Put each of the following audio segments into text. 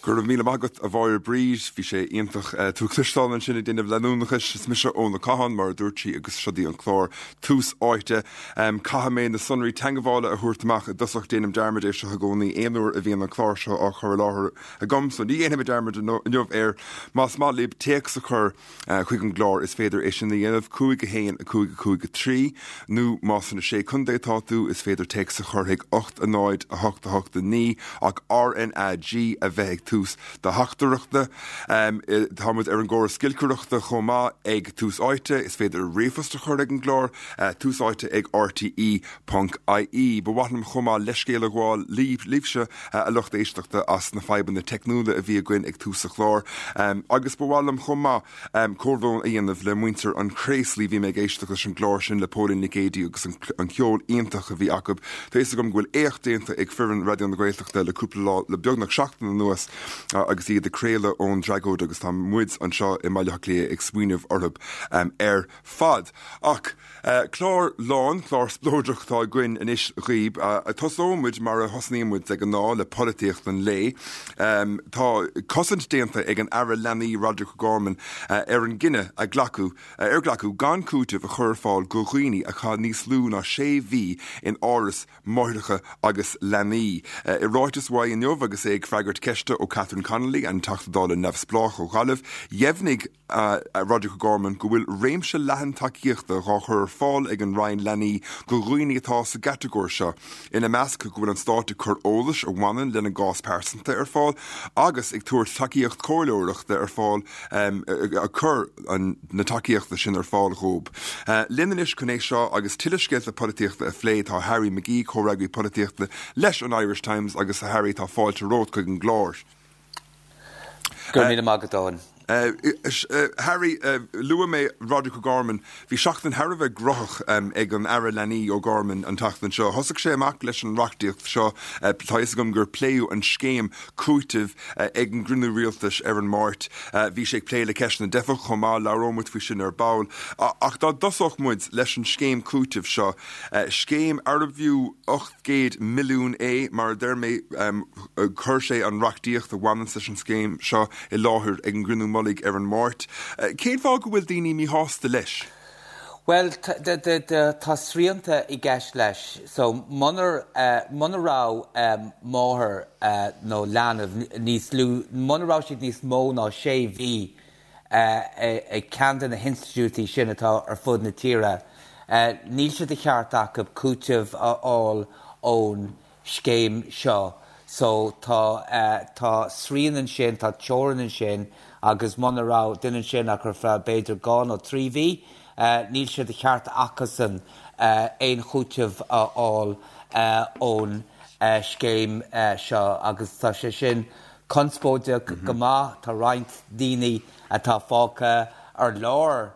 Go raibh míle maith agat a Mháire Bríd, bhí sé iontach tú a chloisteáil ansin ag déanamh leanúnachais. Is mise Eoin Ó Catháin, mar a dúirt sí, agus seo í an clár Tús Áite. Caithfidh mé na sonraí teagmhála a thabhairt amach i dtosach, déanaim dearmad air seo i gcónaí aon uair a bhíonn an clár seo á chur i láthair agam, so ní dhéanfaidh mé dearmad inniu air. Más maith libh téacs a chur chuig an gclár is féidir é sin a dhéanamh, 5 1 5 5 3, nó más sna Sé Contae atá tú, is féidir téacs a chur chuig 8 0 8 8 9 ach RnaG a bheith ag tús do theachtaireachta. Tá muid ar an gcóras giolcaireachta chomh maith ag Tús Áite, is féidir ríomhphost a chur ag an gclár, Tús Áite ag RTE ponc ie. Ba mhaith liom chomh maith leithscéal a ghabháil libhse, a lucht éisteachta, as na fadhbanna teicniúla a bhí againn ag tús an chláir. Agus ba mhaith liom chomh maith comhbhrón a dhéanamh le muintir an Chraoslaigh. Bhí mé ag éisteacht leis an gclár sin le Póilín Nic Géidigh agus an ceol iontach a bhí acu. Tá fhios agam go bhfuil éacht déanta ag foireann Raidió na Gaeltachta le cúpla lá, le beagnach seachtain anuas agus iad ag craoladh ón dtragóid agus tá muid anseo i mBaile Átha Cliath ag smaoineamh orthu ar fad. Ach clár lán, clár spleodrach atá againn anois dhaoib. Tosóidh muid mar a thosnaíonn muid de ghnáth, le polaitíocht an lae. Tá cosaint déanta ag an Aire Leanaí Roderic O'Gorman ar an gcinneadh a glacadh, ar glacadh gan cúiteamh a chur ar fáil go dhaoine a chaith níos lú ná sé mhí in áras máithreacha agus leanaí. I ráiteas uaidh inniu agus é ag freagairt ceiste ó Catherine Connolly, an Teachta Dála neamhspleách ó Ghaillimh, dheimhnigh Roderic O'Gorman go bhfuil réimse leathan tacaíochta dhá chur ar fáil ag an Roinn Leanaí go dhaoine atá sa gcatagóir seo, ina measc go bhfuil an Stát ag cur eolais a bhaineann lena gcás pearsanta ar fáil agus ag tabhairt tacaíocht comhairleoireachta ar fáil ag cur na tacaíochta sin ar fáil dhóib. Linn anois chun é seo agus tuilleadh scéalta polaitíochta a phlé tá Harry McGee, comhfhreagraí polaitíochta leis an Irish Times agus a Harry tá fáilte romhat chuig an gclár. Go raibh míle maith agat, Eoin. Harry, luaigh mé Roderic O'Gorman. Bhí seachtain thar a bheith gnóthach ag an Aire Leanaí O'Gorman an tseachtain seo. Thosaigh sé amach leis an reachtaíocht seo. Tá a fhios agam gur pléadh an scéim cúitimh ag an gcruinniú rialtais ar an Máirt. Bhí sé ag plé le ceist na dteifeach chomh maith, labhróidh muid faoi sin ar ball. Ach dá dtosódh muid leis an scéim cúitimh seo, scéim arbh fhiú 800 milliún é, mar a deir mé, Chuir sé an reachtaíocht a bhaineanns leis an scéim seo i láthair ag an gcruinniú mullaigh ar an Máirt. Cén fáth go bhfuil daoine míshásta leis? Bhuel, tá srianta i gceist leis. So, munar, muna raibh máthair nó leanbh níos lú, muna raibh siad níos mó ná sé mhí ag ceann de na hinstitiúidí sin atá ar fud na tíre, níl sé de cheart acu cúiteamh a fháil ón scéim seo. So tá, tá srian ansin, tá teorainn ansin agus muna raibh duine ansin ach ar feadh b'fhéidir dhá nó trí mhí, níl sé de cheart acusan aon chúiteamh a fháil ón scéim seo agus tá sé sin conspóideach go maith. Tá roinnt daoine atá fágtha ar lár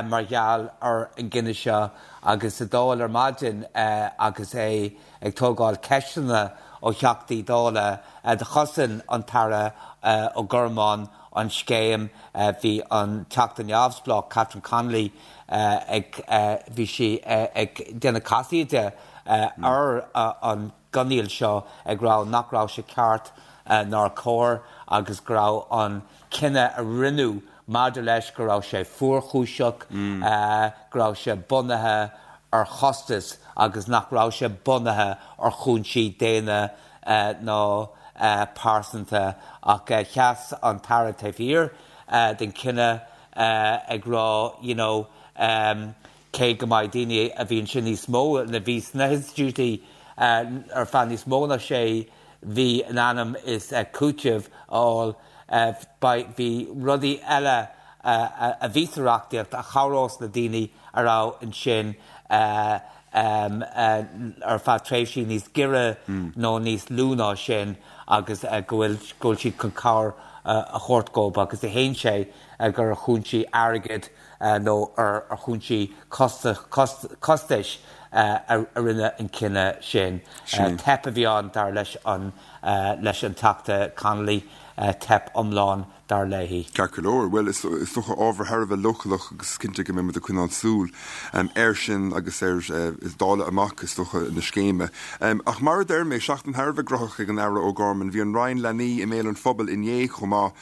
mar gheall ar an gcinneadh seo agus sa Dáil ar maidin agus é ag tógáil ceisteanna ó Theachtaí Dála do chosain an tAire O'Gorman an scéim. Bhí an Teachta Neamhspleách Catherine Connolly ag bhí sí ag déanamh casaoide ar an gcoinníoll seo ag rá nach raibh sé ceart nár cóir agus go raibh an cinneadh a rinneadh maidir leis go raibh sé fuarchúiseach, go raibh sé bunaithe ar chostas agus nach raibh sé bunaithe ar chúinsí daonna ná pearsanta. Ach sheas an tAire taobh thiar den chinneadh ag rá you know cé go mbeidh daoine a bhí ansin níos mó, a bhí sna hinstitiúidí ar feadh níos mó ná sé mhí in ainm is cúiteamh a fháil, bhí rudaí eile a bhí sa reachtaíocht a chabhrós le daoine a raibh ansin ar feadh tréimhsí níos giorra nó níos lú ná sin agus go bhfuil go bhfuil siad chun cabhair a thabhairt dhóibh agus shéan sé gur ar chúinsí airgid nó ar chúinsí costais a rinneadh an cinneadh sin. Teip a bhí ann, dar leis an leis an Teachta Connolly, teip iomlán. dar léi. Ceart go leor. Bhuel, is dócha ábhar thar a bheith leochaileach agus is cinnte go mbeidh muid ag coinneáil súil air sin agus ar dáileadh amach, is dócha, na scéime. Ach mar a deir mé, seachtain thar a bheith graitheach ag an Aire O'Gorman. Bhí an Roinn Leanaí i mbéal an phobail inné chomh maith.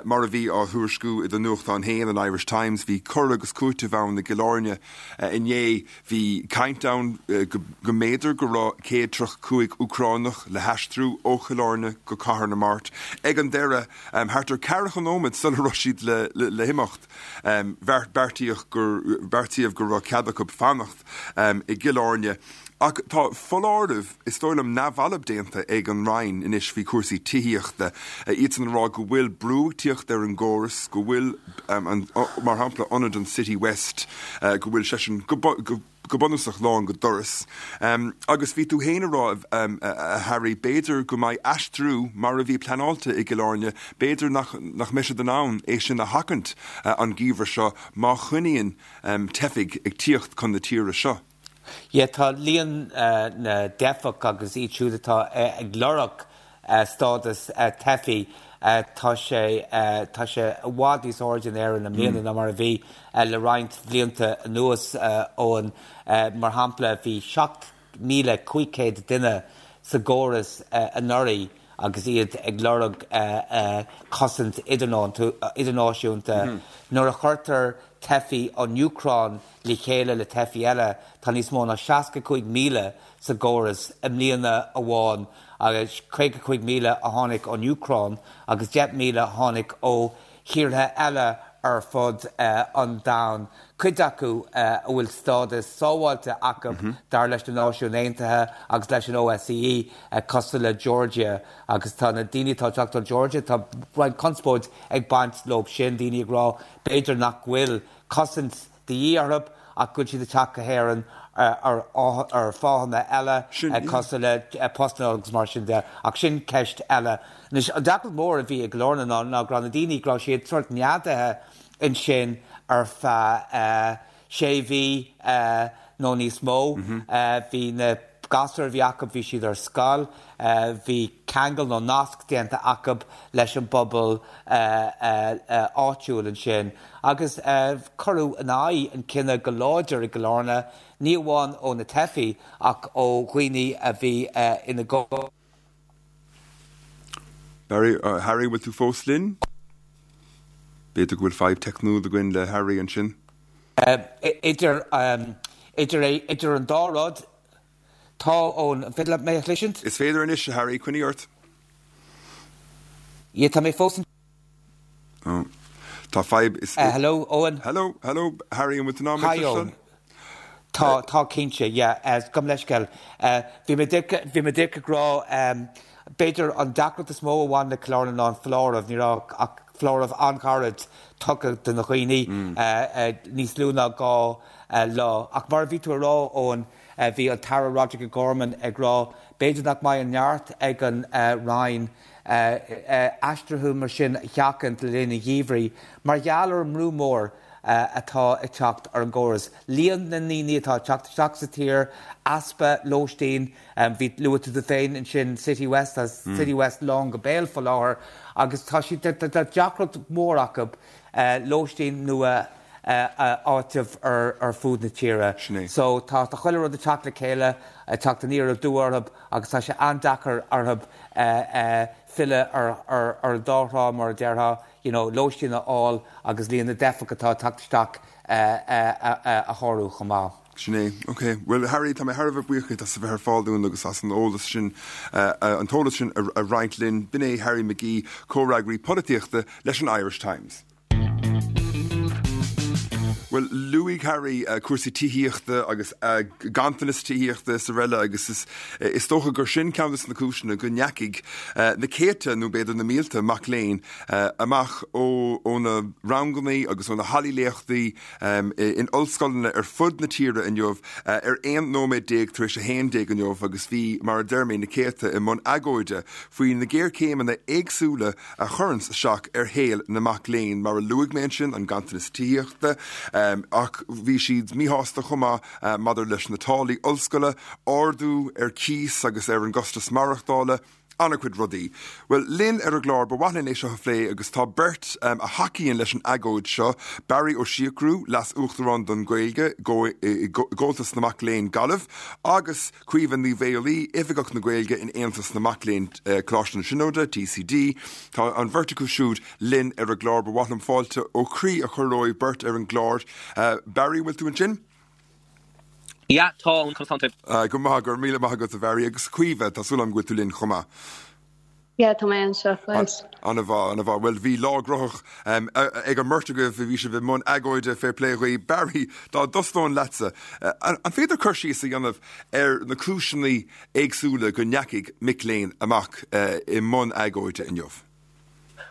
Mar a bhí á thuairisciú i do nuachtán féin, an Irish Times, bhí cur agus cúiteamh ann i gCill Airne inné. Bhí caint ann go mb'fhéidir go raibh 135 Úcránach le haistriú ó Chill Airne go Cathair na Mart. Ag an deireadh, thart ar ceathracha nóiméad sula raibh siad le himeacht, beartaíodh go raibh cead acu fanacht i gCill Airne. Ach tá foláireamh, is dóigh liom, neamhbhalbh déanta ag an Roinn anois faoi chúrsaí tithíochta, iadsan ag rá go bhfuil brú ag tíocht ar an gcóras, go bhfuil, mar shampla, ionad an City West, go bhfuil seisean go bunúsach lán go doras. Agus bhí tú féin ag rá, a Harry, b'fhéidir go mbeidh aistriú mar a bhí pleanáilte i gCill Airne, b'fhéidir nach mbeidh siad in ann é sin a sheachaint an geimhreadh seo má choinníonn teifigh ag tíocht chun na tíre seo. Yeah, tá líon na dteifeach agus iad siúd atá ag lorg stádas teifigh, tá sé, tá sé i bhfad níos airde in Éirinn i mbliana ná mar a bhí le roinnt bhlianta anuas, Eoin. Mar shampla, bhí 7,500 duine sa gcóras anuraidh agus iad ag lorg cosaint idirnáisiúnta. Nuair a chuirtear teifigh ón Úcráin le chéile le teifigh eile, tá níos mó ná 65,000 sa gcóras i mbliana amháin, agus 55,000 a tháinig ón Úcráin agus 10,000 a tháinig ó thíortha eile ar fud an domhain, cuid acu a bhfuil stádas sábháilte acu dar leis na Náisiúin Aontaithe agus leis an OSCE, cosúil le Georgia. Agus tá na daoine atá ag teacht ó Georgia, tá roinnt conspóid ag baint leo sin, daoine ag rá b'fhéidir nach bhfuil cosaint de dhíth orthu ach go bhfuil siad ag teacht go hÉirinn ar fáthanna eile, cosúil le postanna agus mar sin de. Ach sin ceist eile. Anois, an deacracht mhór a bhí i gCill Airne ná go raibh na daoine, go raibh siad sórt neadaithe ansin ar feadh sé mhí nó níos mó. Bhí na gasúir a bhí acu, bhí siad ar scoil, bhí ceangal nó nasc déanta acu leis an bpobal áitiúil ansin agus cuireadh in aghaidh an cinneadh go láidir i gCill Airne, ní amháin ó na teifigh ach ó dhaoine a bhí ina gcónaí. Barry, Harry, bhfuil tú fós linn? B'fhéidir go bhfuil fadhb teicniúil againn le Harry ansin. Idir, idir, idir an dá rud, tá ón, an féidir leat mé a chloisint? Is féidir anois, a Harry, coinnigh ort. Yeah, tá mé fós an. Oh. Tá fadhb is. Hello, Owen. Hello, hello, Harry, an bhfuil tú in ann mé a Hi, chloisteáil? Owen. Tá, tá cinnte, yeah, gabh mo leithscéal. Bhí mé díreach, bhí mé díreach ag rá, b'fhéidir an deacracht is mó a bhain le Cill Airne ná an foláireamh, ní raibh ach foláireamh an-ghairid tugtha do na dhaoine, níos lú ná 2 lá. Ach mar a bhí tú a rá, Eoin, bhí an tAire Roderic O'Gorman ag rá, b'fhéidir nach mbeidh an neart ag an Roinn aistrithe mar sin a sheachaint le linn an gheimhridh mar gheall ar an mbrú mór atá ag teacht ar an gcóras. Líon na ndaoine atá ag teacht isteach sa tír, easpa lóistín, bhí, luaigh tú tú féin ansin City West, tá City West lán go béal faoi láthair agus tá siad, tá deacracht mhór acu lóistín nua a áiteamh ar fud na tíre. Sin é. So tá chuile rud ag teacht le chéile, ag teacht aniar aduaidh orthu agus tá sé an-deacair orthu filleadh ar an dá thrá mar a déarfá. you know, lóistín a fháil agus líon na dteifeach atá ag teacht isteach a shárú chomh maith. Sin é. Ok. Bhuel, Harry, tá mé thar a bheith buíoch díot as a bheith ar fáil dúinn agus as an eolas sin, an t-eolas sin a roinnt linn. B'in é Harry McGee, comhfhreagraí polaitíochta leis an Irish Times. Bhuel, luaigh Harry cúrsaí tithíochta agus ganntanas tithíochta is araile agus is is dócha gur sin ceann de na cúiseanna go ndeachaigh na céadta nó b'fhéidir na mílte mac léinn amach ó na ranganna agus ó na hallaí léachtaí in ollscoileanna ar fud na tíre inniu ar 11 nóiméad tar éis 11 inniu agus bhí, mar a deir mé, na céadta i mbun agóide faoi na géarchéimeanna éagsúla a chuireanns isteach ar shaol na mac léinn, mar a luaigh mé ansin, an ganntanas tithíochta, ach bhí siad míshásta chomh maith maidir leis na táillí ollscoile, ardú ar cíos agus ar an gcostas maireachtála. An-chuid rudaí. Bhuel, linn ar an gclár, ba mhaith linn é seo a phlé agus tá beirt a thacaíonn leis an agóid seo, Barry Ó Siochrú, Leas-Uachtarán don Ghaeilge i gComhaltas na Mac Léinn, Gaillimh, agus Caoimhe Ní Mhaolaí, Oifigeach na Gaeilge in Aontas na Mac Léinn, Coláiste na Tríonóide, TCD. Tá an bheirt acu siúd linn ar an gclár. Ba mhaith liom fáilte ó chroí a chur romhaibh beirt ar an gclár. Barry, an bhfuil tú ansin? Yeah, tá, conas tánn tú? Go maith, go raibh míle maith agat a Bharry. Agus Caoimhe, tá súil agam go bhfuil tú linn chomh maith. Yeah, tá mé anseo fós. An-mhaith, an-mhaith. Bhuel, bhí lá gnóthach ag an mbeirt agaibh, bhí sibh i mbun agóide, fair play dhaoibh. Barry, dá dtosnóinn leatsa, an féidir cur síos a dhéanamh ar na cúiseanna éagsúla go ndeachaigh mic léinn amach i mbun agóide inniu?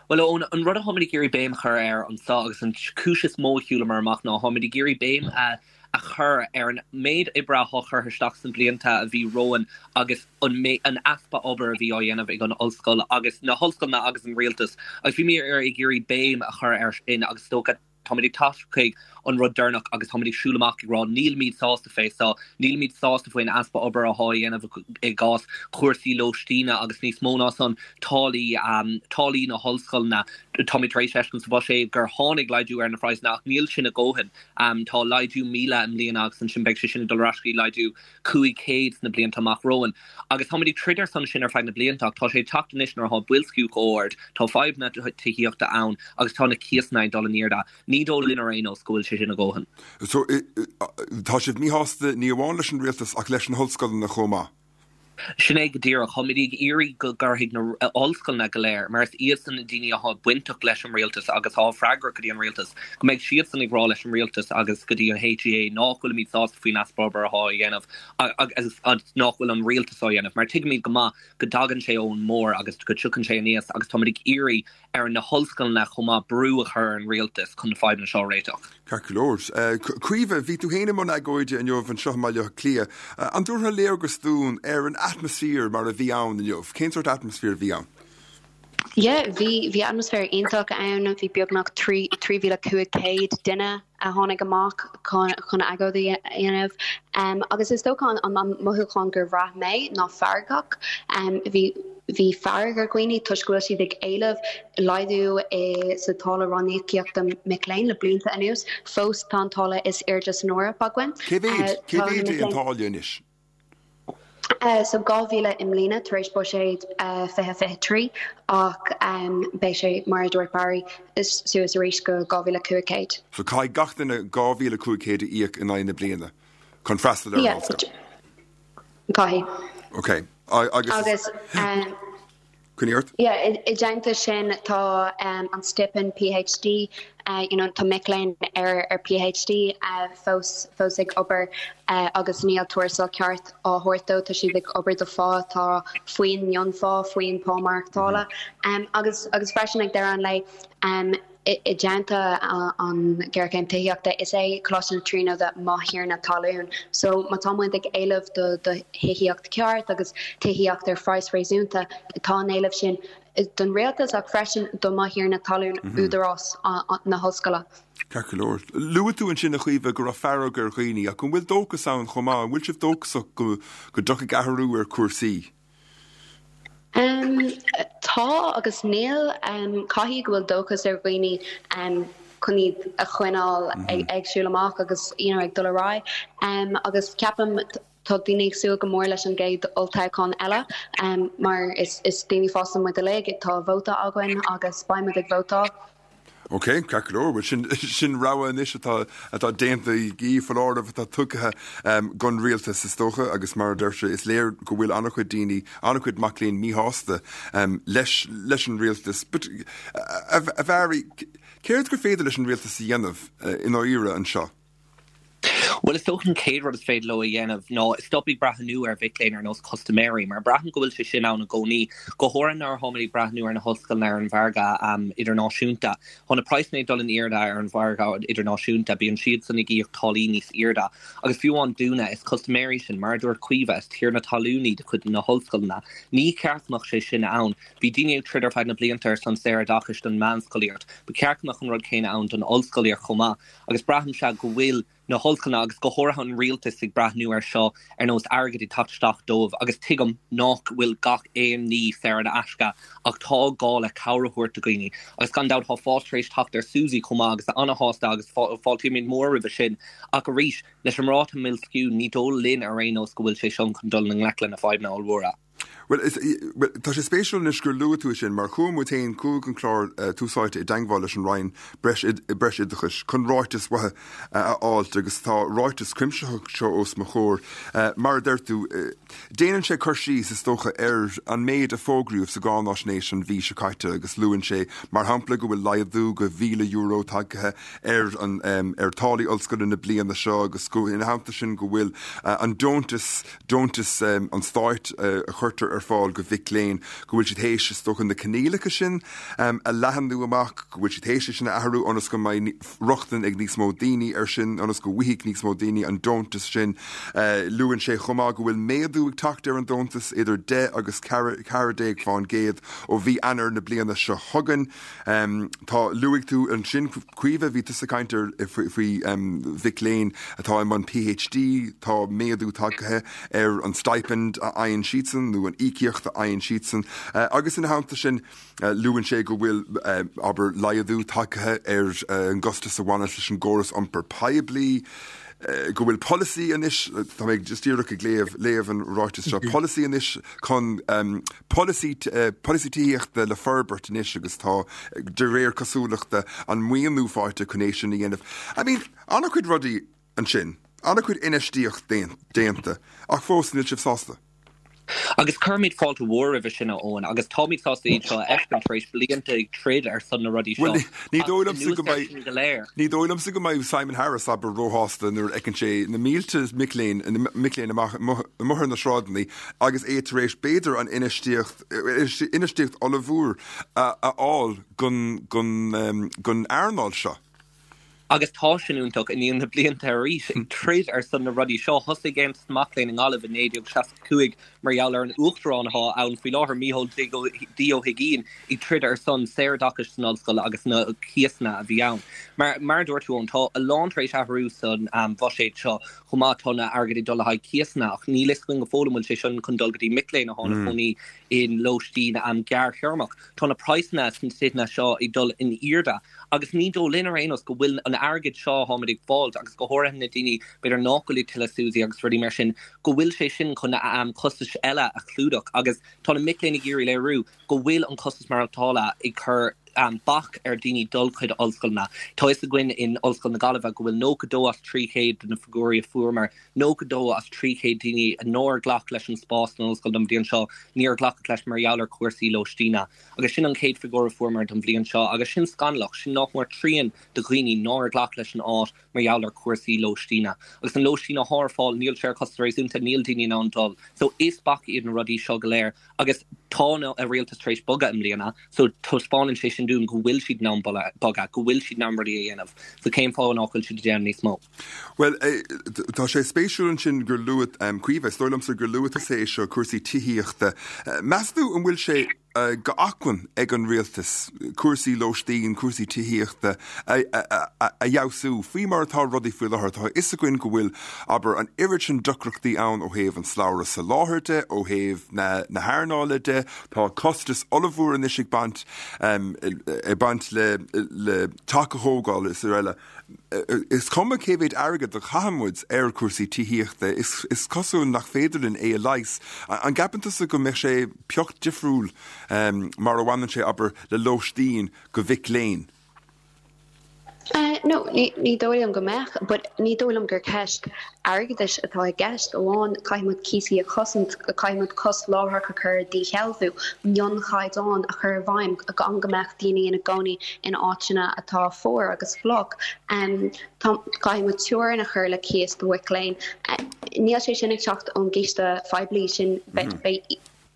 Bhuel, Eoin, an rud atáimid ag iarraidh béim a chur air anseo agus an chúis is mó a shiúlamar amach ná táimid ag iarraidh béim a a chur ar an méid oibre atá curtha isteach sna blianta a bhí romhainn agus an an easpa obair a bhí á dhéanamh ag an ollscoil agus na hollscoileanna agus an rialtas agus bhí muid ag iarraidh béim a chur air sin agus is dócha Táimid ag teacht chuig an rud deireanach agus táimid ag siúl amach ag rá nílimid sásta fé seo, nílimid sásta faoin easpa obair atá á dhéanamh i gcás cúrsaí lóistíne agus níos mó ná san, táillí, táillí na hollscoileanna. Táimid tar éis fheiscint sa bhuiséad gur tháinig laghdú ar na praghsanna ach níl sin a dhóthain. Tá laghdú 1,000 i mbliana agus ansin beidh sé sin ag dul ar ais go dtí laghdú 500 sna blianta amach romhainn. Agus táimid ag troid ar son sin ar feadh na blianta ach tá sé ag teacht anois nuair atá boilsciú chomh ard, tá fadhbanna tithíochta ann agus tá na cíosanna ag dul in airde. Ní dóigh linn ar aon nós go bhfuil sé sin a dhóthain. So, tá sibh míshásta ní amháin leis an rialtas ach leis na hollscoileanna chomh maith? Sin é go díreach. Táimid ag iarraidh go gcuirfidh na hollscoileanna go léir, mar is iadsan na daoine atá bainteach leis an rialtas agus atá freagrach go dtí an rialtas, go mbeidh siadsan ag rá leis an rialtas agus go dtí an HEA nách bhfuilimid sásta faoin easpa obair atá á dhéanamh agus nách bhfuil an rialtas á dhéanamh. Mar tuigimid go maith go dtagann sé ón mbarr agus go dtiocfaidh sé aníos agus táimid ag iarraidh ar na hollscoileanna chomh maith brú a chur ar an rialtas chun na fadhbanna seo a réiteach. Ceart go leor. Caoimhe, bhí tú féin i mbun agóide inniu anseo i mBaile Átha Cliath. An dtabharfá léargas dúinn ar an atmaisféar mar a bhí ann inniu? Cén sórt atmaisféar a bhí ann? Yeah, bhí, bhí atmaisféar iontach ann. Bhí beagnach 3,500 duine a tháinig amach chun agóid a dhéanamh. Agus is dócha an mothúchán gur bhraith mé ná feargach. Bhí bhí fearg ar dhaoine toisc go bhfuil siad ag éileamh laghdú i sa táille ranníocaíochta mic léinn le blianta anuas. Fós tá an táille is airde san Eoraip againn. Cé mhéad cé mhéad é an táille anois? So 2,000 i mbliana tar éis buiséad 2023 ach beidh sé, mar a dúirt Barry, suas arís go 2,500. So caithfidh gach duine 2,500 a íoc in aghaidh na bliana chun freastal ar an ollscoil? Caithfidh. Ok. Agus. Agus. Coinnigh ort. Yeah, i dteannta sin tá an stipend PhD, you know, tá mic léinn ar ar PhD fós fós ag obair agus níl tuarastal ceart á thabhairt dóibh, tá siad ag obair do phá atá faoin mionphá, faoin pá maireachtála. Agus agus freisin ag deireadh an lae, I dteannta an ghéarchéim tithíochta, is é Coláiste na Tríonóide mo thiarna talún. So má tá muid ag éileamh do do thithíocht ceart agus tithíocht ar phraghas réasúnta, tá an éileamh sin don rialtas ach freisin do mo thiarna talún, údarás na hollscoile. Ceart go leor. Luaigh tú ansin, a Chaoimhe, go raibh fearg ar dhaoine, ach an bhfuil dóchas ann chomh maith? An bhfuil sibh dóchasach go dtiocfaidh athrú ar chúrsaí? Tá agus níl. Caithfidh go bhfuil dóchas ar dhaoine chun iad a choinneáil ag siúl amach agus you know ag dul ar aghaidh. Agus ceapaim tá daoine ag súil go mór leis an gcéad olltoghchán eile mar is daoine fásta muid uilig, tá vóta againn agus beidh muid ag vótáil. Ok, ceart go leor. Bhuel, sin, sin rogha anois atá, atá déanta agaibh, foláireamh atá tugtha don rialtas, is dócha, agus mar a deir sé, is léir go bhfuil an-chuid daoine, an-chuid mac léinn míshásta leis, leis an rialtas. But, a, a Bharry, céard gur féidir leis an rialtas a dhéanamh i ndáiríre anseo? Bhuel, is dócha an chéad rud is féidir leo a dhéanamh ná stop ag breathnú ar mhic léinn ar nós custaiméirí, mar braithim go bhfuil sé sin ann i gcónaí, go háirithe nuair atáimid ag breathnú ar na hollscoileanna ar an mhargadh idirnáisiúnta. Tá na praghsanna ag dul in airde ar an mhargadh idirnáisiúnta, bíonn siadsan ag íoc táillí níos airde. Agus fiú amháin dúinne, is custaiméirí sinn, mar a dúirt Caoimhe, is tiarna talún iad cuid de na hollscoileanna. Ní ceart go mbeadh sé sin ann. Bhí daoine ag troid ar feadh na blianta ar son saoroideachais don mheánscolaíocht. Ba cheart go mbeadh an rud céanna ann don ollscolaíocht chomh maith. Agus braithimse go bhfuil. Na hollscoileanna agus go háirithe an rialtas ag breathnú ar seo ar nós airgead ag teacht isteach dóibh agus tuigim nach bhfuil gach aon ní saor in aisce ach tá gá le cabhair a thabhairt do dhaoine agus gan dabht tá fás tar éis teacht ar SUSI chomh maith agus ana-shásta agus fáiltímid mór roimhe sin ach arís leis an ráta mboilsciú ní dóigh linn ar aon nós go bhfuil sé seo chun dul i ngleic le na fadhbanna ollmhóra. Bhuel, is, bhuel, tá sé spéisiúil anois gur luaigh tú é sin, mar chuaigh muid féin, chuaigh an clár Tús Áite i dteangmháil leis an Roinn Breis, Breis Oideachais chun ráiteas uathu a fháilt agus tá ráiteas cuimsitheach seo os mo chomhair. Mar a deir tú, déanann sé cur síos, is dócha, ar an méid a fógraíodh sa gcáináisnéis an mhí seo caite agus luann sé, mar shampla, go bhfuil laghdú go €1,000 tagtha ar an, ar táillí ollscoile na bliana seo agus go, ina theannta sin, go bhfuil an deontas deontas an stáit a chuirtear ar fáil go mhic léinn, go bhfuil siad théis, is dócha, na coinníollacha sin a leathanú amach, go bhfuil siad théis é sin a athrú ionas go mbeidh rochtain ag níos mó daoine air sin, ionas go bhfaighidh níos mó daoine an deontas sin. Luann sé chomh maith go bhfuil méadú ag teacht ar an deontas idir 10 agus 14% ó mhí Eanáir na bliana seo chugainn. Tá, luaigh tú ansin, Caoimhe, bhí tusa ag caint ar, faoi mhic léinn atá i mbun PhD, tá méadú tagtha ar an stipend a fhaigheann siadsan nó an íocaíocht a fhaigheann siadsan agus ina theannta sin luann sé go bhfuil, abair, laghdú tagtha ar an gcostas a bhaineann leis an gcóras iompair poiblí. go bhfuil polasaí anois, tá mé just díreach ag léamh, léamh an ráiteas seo, polasaí anois chun polasaí, polasaí tithíochta le forbairt anois agus tá, de réir cosúlachta, an maoiniú faighte chun é sin a dhéanamh. I mean, an-chuid rudaí ansin, an-chuid infheistíocht déanta, ach fós níl sibh sásta. Agus cuirimid fáilte mhór roimhe sin, a Eoin, agus táimid sásta iad seo a fheiscint tar éis blianta ag troid ar son na rudaí seo. Bhuel, ní dóigh liomsa go mbeidh, sin go léir. ní dóigh liomsa go mbeidh Simon Harris, abair, róshásta nuair a fheiceann sé na mílte mic léinn, mic léinn amach amuigh ar na sráideanna agus é tar éis, b'fhéidir, an infheistíocht, infheistíocht ollmhór a fháil gon, gon, gon earnáil seo. Agus tá sin iontach, i ndiaidh na blianta arís ag troid ar son na rudaí seo. Thosaigh Aontas na Mac Léinn i nGaillimh i 1965 mar gheall ar an Uachtarán atá ann faoi láthair, Mícheál D Ó hUigínn, ag troid ar son saoroideachais san ollscoil agus na cíosanna a bhí ann. Mar mar a dúirt tú, Eoin, tá a lán tar éis athrú san bhuiséad seo chomh maith. Tá na airgead ag dul le haghaidh cíosanna ach níl fhios againn go fóill an bhfuil sé sin chun dul go dtí mic léinn atá ina gcónaí i lóistín gearrthéarmach. Tá na praghsanna sna tithe seo ag dul in airde. Agus ní dóigh linn ar aon nós go bhfuil an airgead seo atáimid ag fáilt, agus go háirithe na daoine b'fhéidir nach bhfuil ag tuilleadh SUSI agus rudaí mar sin, go bhfuil sé sin chun costais eile a chlúdach. Agus tá na mic léinn ag iarraidh léiriú go bhfuil an costas maireachtála ag cur bac ar dhaoine dul chuig ollscoileanna. Tá fhios againn in Ollscoil na Gaillimhe go bhfuil 92 as 300 de na figiúirí a fuaireamar, 92 as 300 daoine nár ghlac leis an spás san ollscoil don bhliain seo, níor ghlacadh leis mar gheall ar chúrsaí lóistíne. Agus sin an chéad figiúr a fuaireamar don bhliain seo, agus sin scannalach, sin nach mór trian de dhaoine nár ghlac leis an áit mar gheall ar chúrsaí lóistíne. Agus an lóistín atá ar fáil, níl sé ar chostas réasúnta, níl daoine in ann dul. So is bac iad na rudaí seo go léir. Agus tá an rialtas tar éis bogadh i mbliana, so taispeánann sé sin dúinn go bhfuil siad in ann bogadh, go bhfuil siad in ann rudaí a dhéanamh. So cén fáth nach bhfuil siad ag déanamh níos mó? Bhuel, tá sé spéisiúil ansin gur luaigh, Caoimhe, is dóigh liomsa gur luaigh tusa é seo, cúrsaí tithíochta. Meas tú an bhfuil sé d'acmhainn ag an rialtas cúrsaí lóistín, cúrsaí tithíochta a fheabhsú faoi mar atá rudaí faoi láthair. Tá a fhios againn go bhfuil, abair, an oiread sin deacrachtaí ann ó thaobh an slabhra soláthair de, ó thaobh na hearnála de. Tá costas ollmhór anois ag baint ag baint le le teach a thógáil is araile. Is cuma cé mhéid airgead a chaitheann muid ar chúrsaí tithíochta, is cosúil nach féidir linn é a leigheas. An gceapann tusa go mbeadh sé pioc difriúil mar a bhaineann sé, abair, le lóistín go mhic léinn? No, ní dóigh liom go mbeadh, but ní dóigh liom gur ceist airgeadais atá i gceist amháin. Caithfidh muid cíosaí a chosaint, caithfidh muid costas láithreach a chur ar dhíshealbhú, mionchaighdeáin a chur i bhfeidhm gan go mbeadh daoine ina gcónaí in áiteanna atá fuar agus fliuch. Tá, caithfidh muid teorainn a chur le cíos do mhic léinn. Níl sé sin ag teacht ón gciste phoiblí, sin beidh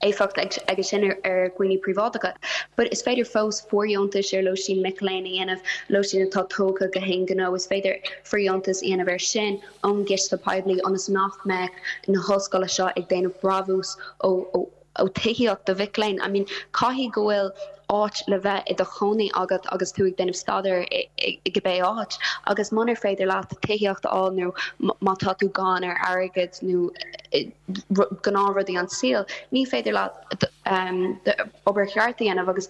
éifeacht aige sin ar dhaoine príobháideacha. But is féidir fós fóirdheontais ar lóistín mic léinn a dhéanamh, lóistín atá tógtha go haon ghnó, is féidir fóirdheontas a dhéanamh air sin ón gciste poiblí ionas nach mbeadh na hollscoileanna seo ag déanamh brabús ó ó tithíocht do mhic léinn. I mean, caithfidh go bhfuil. áit le bheith i do chónaí agat agus tú ag déanamh staidéir i cibé áit agus munar féidir leat tithíocht a fháil nó má tá tú gann ar airgead nó gnáthrudaí an tsaoil, ní féidir leat obair cheart a dhéanamh agus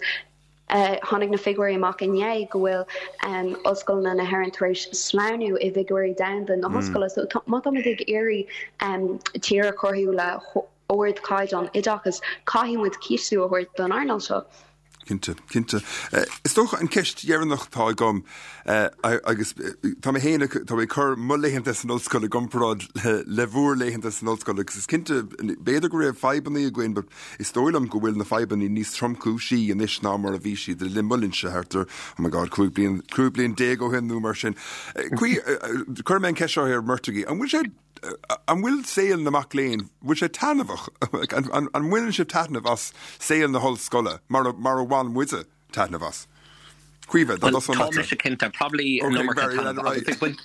tháinig na figiúirí amach inné go bhfuil ollscoileanna na hÉireann tar éis sleamhnú i bhfigiúirí domhanda na hollscoile so má táimid ag iarraidh tír a chruthú le ardchaighdeán oideachais, caithfidh muid cistiú a thabhairt don earnáil seo. Cinnte, cinnte. Is dócha an ceist dheireanach atá agam, agus tá mé féin, tá mé ag cur mo laethanta san ollscoil i gcomparáid le bhur laethanta san ollscoil agus is cinnte, b'fhéidir go raibh fadhbanna againn but is dóigh liom go bhfuil na fadhbanna níos tromchúisí anois ná mar a bhí siad le linn mo linnse thart ar, oh my God, 15 bliain, 15 bliain ó shin nó mar sin. Cuirfidh mé an ceist seo ar an mbeirt agaibh, an bhfuil sé An bhfuil saol na mac léinn, bhfuil sé taitneamhach? An mbaineann sibh taitneamh as saol na hollscoile mar a bhain muide taitneamh as? Caoimhe, dá dtosóinn leatsa. Tá mise cinnte, probably an iomarca taitneamh agus ag baint,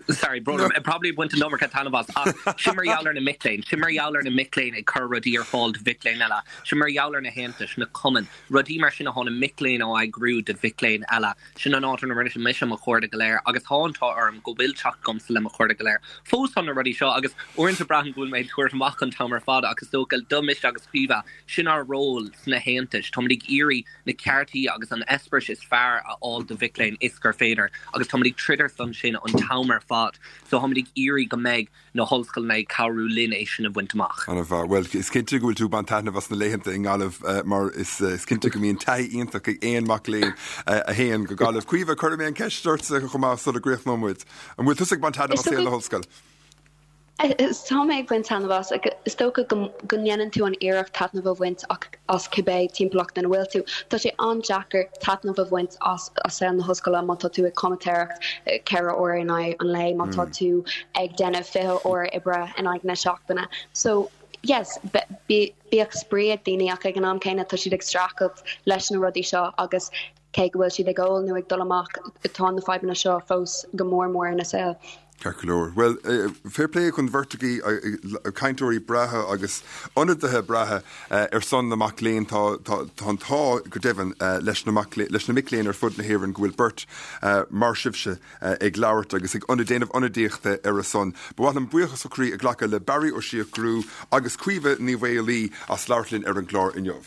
sorry, brón orm, probably ag baint an iomarca taitneamh as ach sin mar gheall ar na mic léinn, sin mar gheall ar na mic léinn ag cur rudaí ar fáil do mhic léinn eile, sin mar gheall ar na haontais, na cumainn, rudaí mar sin atá na mic léinn á eagrú do mhic léinn eile. Sin an áit ina rinne mise mo chairde go léir agus tá an t-ádh orm go bhfuil teacht agamsa le mo chairde go léir. Fós tá na rudaí seo agus uaireanta braithim go bhfuil mé ag tabhairt amach an t-am ar fad ach is dócha do mise agus Caoimhe, sin ár ról sna haontais. Táimid ag iarraidh na ceartaí agus an eispéireas is fearr a fháil do mhic léinn is gur féidir agus táimid ag troid ar son sin an t-am ar fad. So táimid ag iarraidh go mbeidh na hollscoileanna ag cabhrú linn é sin a bhaint amach. Ana mhaith. Bhuel, is cinnte go bhfuil tú ag baint taitneamh as na laethanta i nGaillimh mar is cinnte go mbíonn taithí iontach ag aon mac léinn a théann go Gaillimh. Caoimhe, cuirfidh mé an ceist ortsa chomh maith sula gcríochnóidh muid. An bhfuil tusa ag baint taitneamh as saol na hollscoile? Tá mé ag baint taitneamh as. Is dócha go ndéanann tú an iarracht taitneamh a bhaint as cibé timpeallacht ina bhfuil tú. Tá sé an-deacair taitneamh a bhaint as saol na hollscoile má tá tú ag comaitéireacht 4 uair in aghaidh an lae, má tá tú ag déanamh 20 uair oibre in aghaidh na seachtaine. So, yes, bíodh spraoi ag daoine ach ag an am céanna tá siad ag streachailt leis na rudaí seo agus cé go bhfuil siad ag ól nó ag dul amach, tá na fadhbanna seo fós go mór mór ina saol. Ceart go leor. Bhuel, fair play don bheirt agaibh, cainteoirí breátha agus ionadaithe breátha ar son na mac léinn. Tá an t-ádh go deimhin leis na mac leis na mic léinn ar fud na hÉireann go bhfuil beirt mar sibhse ag labhairt agus ag déanamh ionadaíochta ar a son. Ba mhaith liom buíochas ó chroí a ghlacadh le Barry Ó Siochrú agus Caoimhe Ní Mhaolaí as labhairt linn ar an gclár inniu.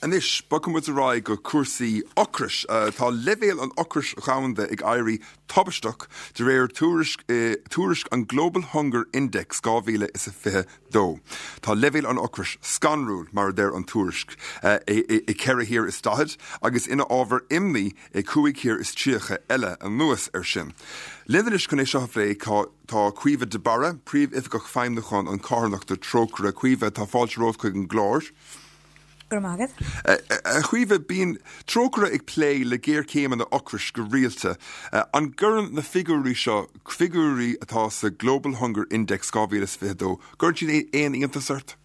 Anois, bogfaidh muid ar aghaidh go cúrsaí ocrais. Tá leibhéal an ocrais dhomhanda ag éirí tubaisteach de réir tuairisc tuairisc an Global Hunger Index 2022. Tá leibhéal an ocrais scanrúil, mar a deir an tuairisc, i 4 thír is 40 agus ina ábhar imní i 5 thír is 30 eile anuas air sin. Linn anois chun é seo a phlé, Tá Caoimhe de Barra, Príomhoifigeach Feidhmiúcháin an Carthanachta Trócaire. Caoimhe, tá fáilte romhat chuig an gclár. Go raibh maith agat. A Chaoimhe, bíonn Trócaire ag plé le géarchéimeanna ocrais go rialta. An gcuireann na figiúirí seo, figiúirí atá sa Global Hunger Index 2022, gcuireann siad aon iontas ort?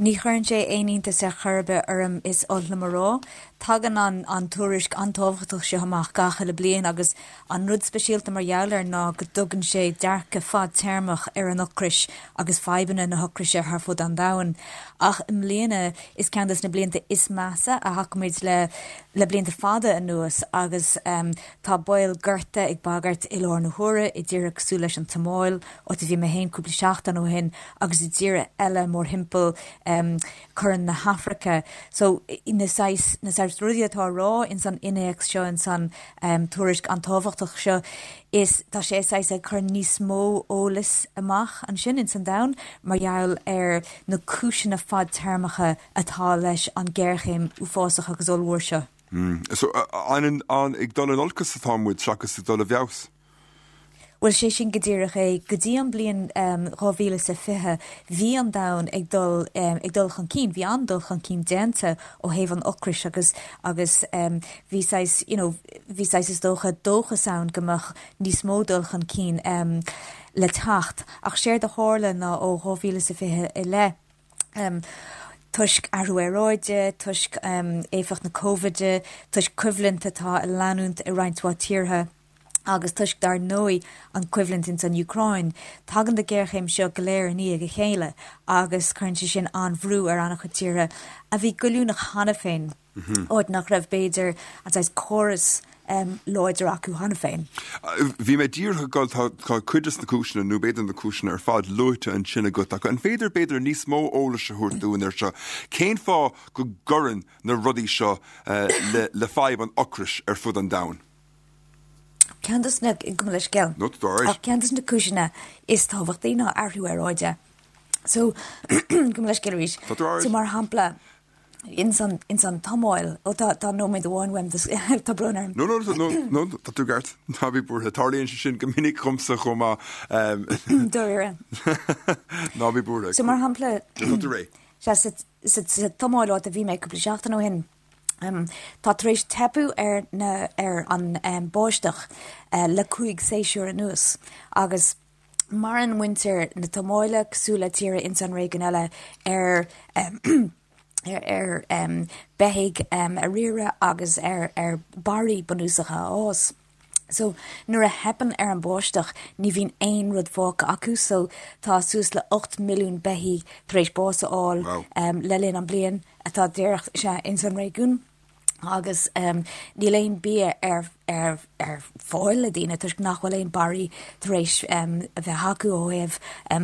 Ní chuireann sé aon iontas ar chor ar bith orm, is oth liom a rá. Tagann an an tuairisc an-tábhachtach seo amach gach uile bliain agus an rud speisialta mar gheall air ná go dtugann sé dearcadh fadtéarmach ar an ocrais agus fadhbanna na hocraise thar fud an domhain. Ach i mbliana, is ceann des na blianta is measa a fhaca muid le le blianta fada anuas agus tá baol gorta ag bagairt i láthair na huaire i dtíortha cosúil leis an tSomáil, áit a bhí mé féin cúpla seachtain ó shin agus i dtíortha eile mórthimpeall Corn na hAfraice. So na saghas, na saghas rudaí atá á rá ins an innéacs seo, ins an tuairisc an-tábhachtach seo, is tá sé saghas ag cur níos mó eolais amach ansin ins an domhan mar gheall ar na cúiseanna fadtéarmacha atá leis an géarchéim uafásach agus ollmhór seo. So an ag dul in olcas atá muid seachas ag dul i bhfeabhas? Bhuel, sé sin go díreach é. Go dtí an bliain 2020, bhí an domhan ag dul, ag dul chun cinn, bhí an-dul chun cinn déanta ó thaobh an ocrais agus, agus bhí saghas, you know, bhí saghas is dócha dóchas ann go mbeadh níos mó dul chun cinn le teacht. Ach séard a tharla ná ó 2020 i leith, toisc athrú aeráide, toisc éifeacht na Cóivide, toisc coimhlint atá ag leanúint i roinnt mhaith tíortha. Agus toisc, dar ndóigh, an choimhlint ins an Úcráin, tagann na géarchéim seo go léir i ndiaidh a chéile agus cuireann sé sin an-bhrú ar an-chuid tíortha a bhí goilliúnach cheana féin, áit nach raibh, b'fhéidir, an saghas córas láidir acu cheana féin. Bhí mé díreach ag dul, tá cuid des na cúiseanna, nó b'fhéidir na cúiseanna ar fad, luaite ansin agat, ach an féidir, b'fhéidir, níos mó eolais a thabhairt dúinn ar seo? Cén fáth go gcuireann na rudaí seo le fadhb an ocrais ar fud an domhain? Ceann des na, gabh mo leithscéal. No, tá alright. Ach ceann des na cúiseanna is tábhachtaí ná athrú aeráide. So, gabh mo leithscéal arís. Tá tú alright. So mar shampla, ins an, ins an tSomáil, ó tá, tá nóiméad amháin uaim, tá brón orm. No, no, no, no, tá tú ceart. Ná bí buartha. Tarlaíonn sé sin go minic dhomsa chomh maith. Dáiríre. Ná bí buartha. So mar shampla, Tá tú réidh. sea, sa, sa, sa tSomáil áit a bhí mé cúpla seachtain ó shin, Tá tar éis teipeadh ar na ar an báisteach le 5 séasúr anuas agus maireann muintir na tSomáile, cosúil le tíortha ins an réigiún eile, ar ar beithígh a riaradh agus ar ar barraí bunúsacha a fhás. So nuair a theipeann ar an báisteach ní bhíonn aon rud fágtha acu so tá suas le 8 milliún beithígh tar éis bás a fháil le linn an bliain atá díreach, sea, ins an réigiún agus níl aon bia ar ar ar fáil le daoine toisc nach bhfuil aon barraí tar éis a bheith acu ó thaobh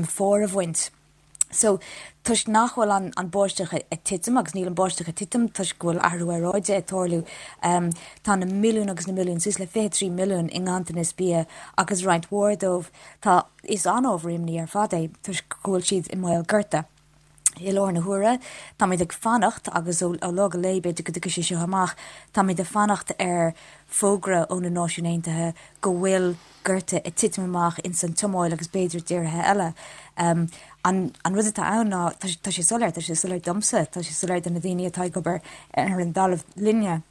fómhair a bhaint. So, toisc nach bhfuil an an báisteach ag titim, agus níl an báisteach ag titim toisc go bhfuil athrú aeráide ag tarlú, tá na milliúin agus na milliúin, suas le 23 milliún i nganntanas bia agus roinnt mhór dóibh, tá, is an-ábhar imní ar fad é toisc go bhfuil siad i mbaol gorta. I láthair na huaire, táimid ag fanacht, agus ó lá go lá b'fhéidir go dtiocfaidh sé seo amach, táimid ag fanacht ar fógra ó na Náisiúin Aontaithe go bhfuil gorta ag titim amach ins an tSomáil agus b'fhéidir i dtíortha eile. An an rud atá ann ná, tá tá sé soiléir, tá sé soiléir domsa, tá sé soiléir do na daoine atá ag obair ar an dtalamh linne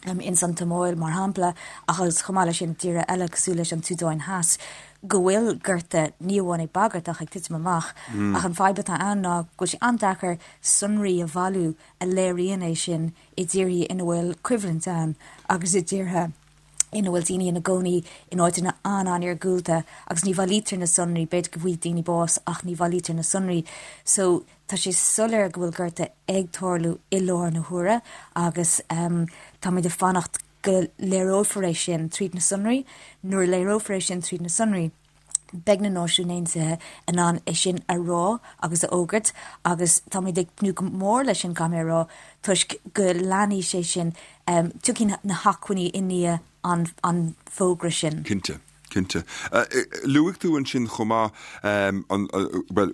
ins an tSomáil mar shampla, ach agus chomh maith leis sin i dtíortha eile cosúil leis an tSúdáin Theas, go bhfuil gorta ní amháin ag bagairt ach ag titim amach. Ach an fadhb atá ann ná go bhfuil sé an-deacair sonraí a bhailiú a léiríonn é sin i dtíortha ina bhfuil coimhlint ann agus i dtíortha ina bhfuil daoine ina gcónaí in áiteanna an-an-iargúlta agus ní bhailítear na sonraí, b'fhéidir go bhfaighidh daoine bás ach ní bhailítear na sonraí. So tá sé soiléir go bhfuil gorta ag tarlú i láthair na huaire agus táimid ag fanacht go léireofar é sin tríd na sonraí. Nuair a léireofar é sin tríd na sonraí, beidh na Náisiúin Aontaithe in ann é sin a rá agus a fhógairt agus táimid ag tnúth go mór leis sin, caithfidh mé a rá, toisc go leanfaidh sé sin, tiocfaidh na hacmhainní i ndiaidh an fógra sin. Cinnte. Cinnte. Luaigh tú ansin chomh maith, bhuel,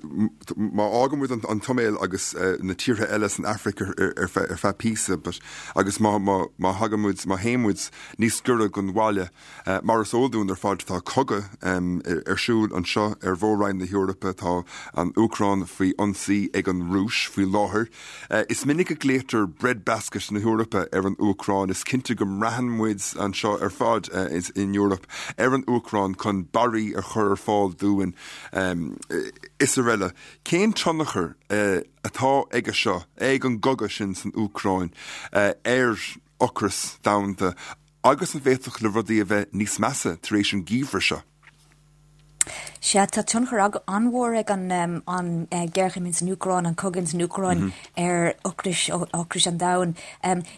má fhágann muid an tSomáil agus na tíortha eile san Afraic ar feadh píosa, but agus má thagann muid, má théann muid níos giorra don bhaile, Mar is eol dúinn ar fad tá cogadh ar siúl anseo ar mhór-roinn na hEorpa. Tá an Úcráin faoi ionsaí ag an Rúis faoi láthair. Is minic a ghlaoitear breadbasket na hEorpa ar an Úcráin. Is cinnte go mbraitheann muid anseo ar fad in Eoraip ar an Úcráin chun barraí a chur ar fáil dúinn is araile. Cén tionchar atá aige seo, ag an gcogadh sin san Úcráin, ar ocras domhanda Agus an bhféadfadh le rudaí a bheith níos measa tar éis an geimhreadh seo? Sea, tá tionchar an-mhór ag an an géarchéim ins an Úcráin, an cogadh ins an Úcráin ar ocrais, ocrais an domhain.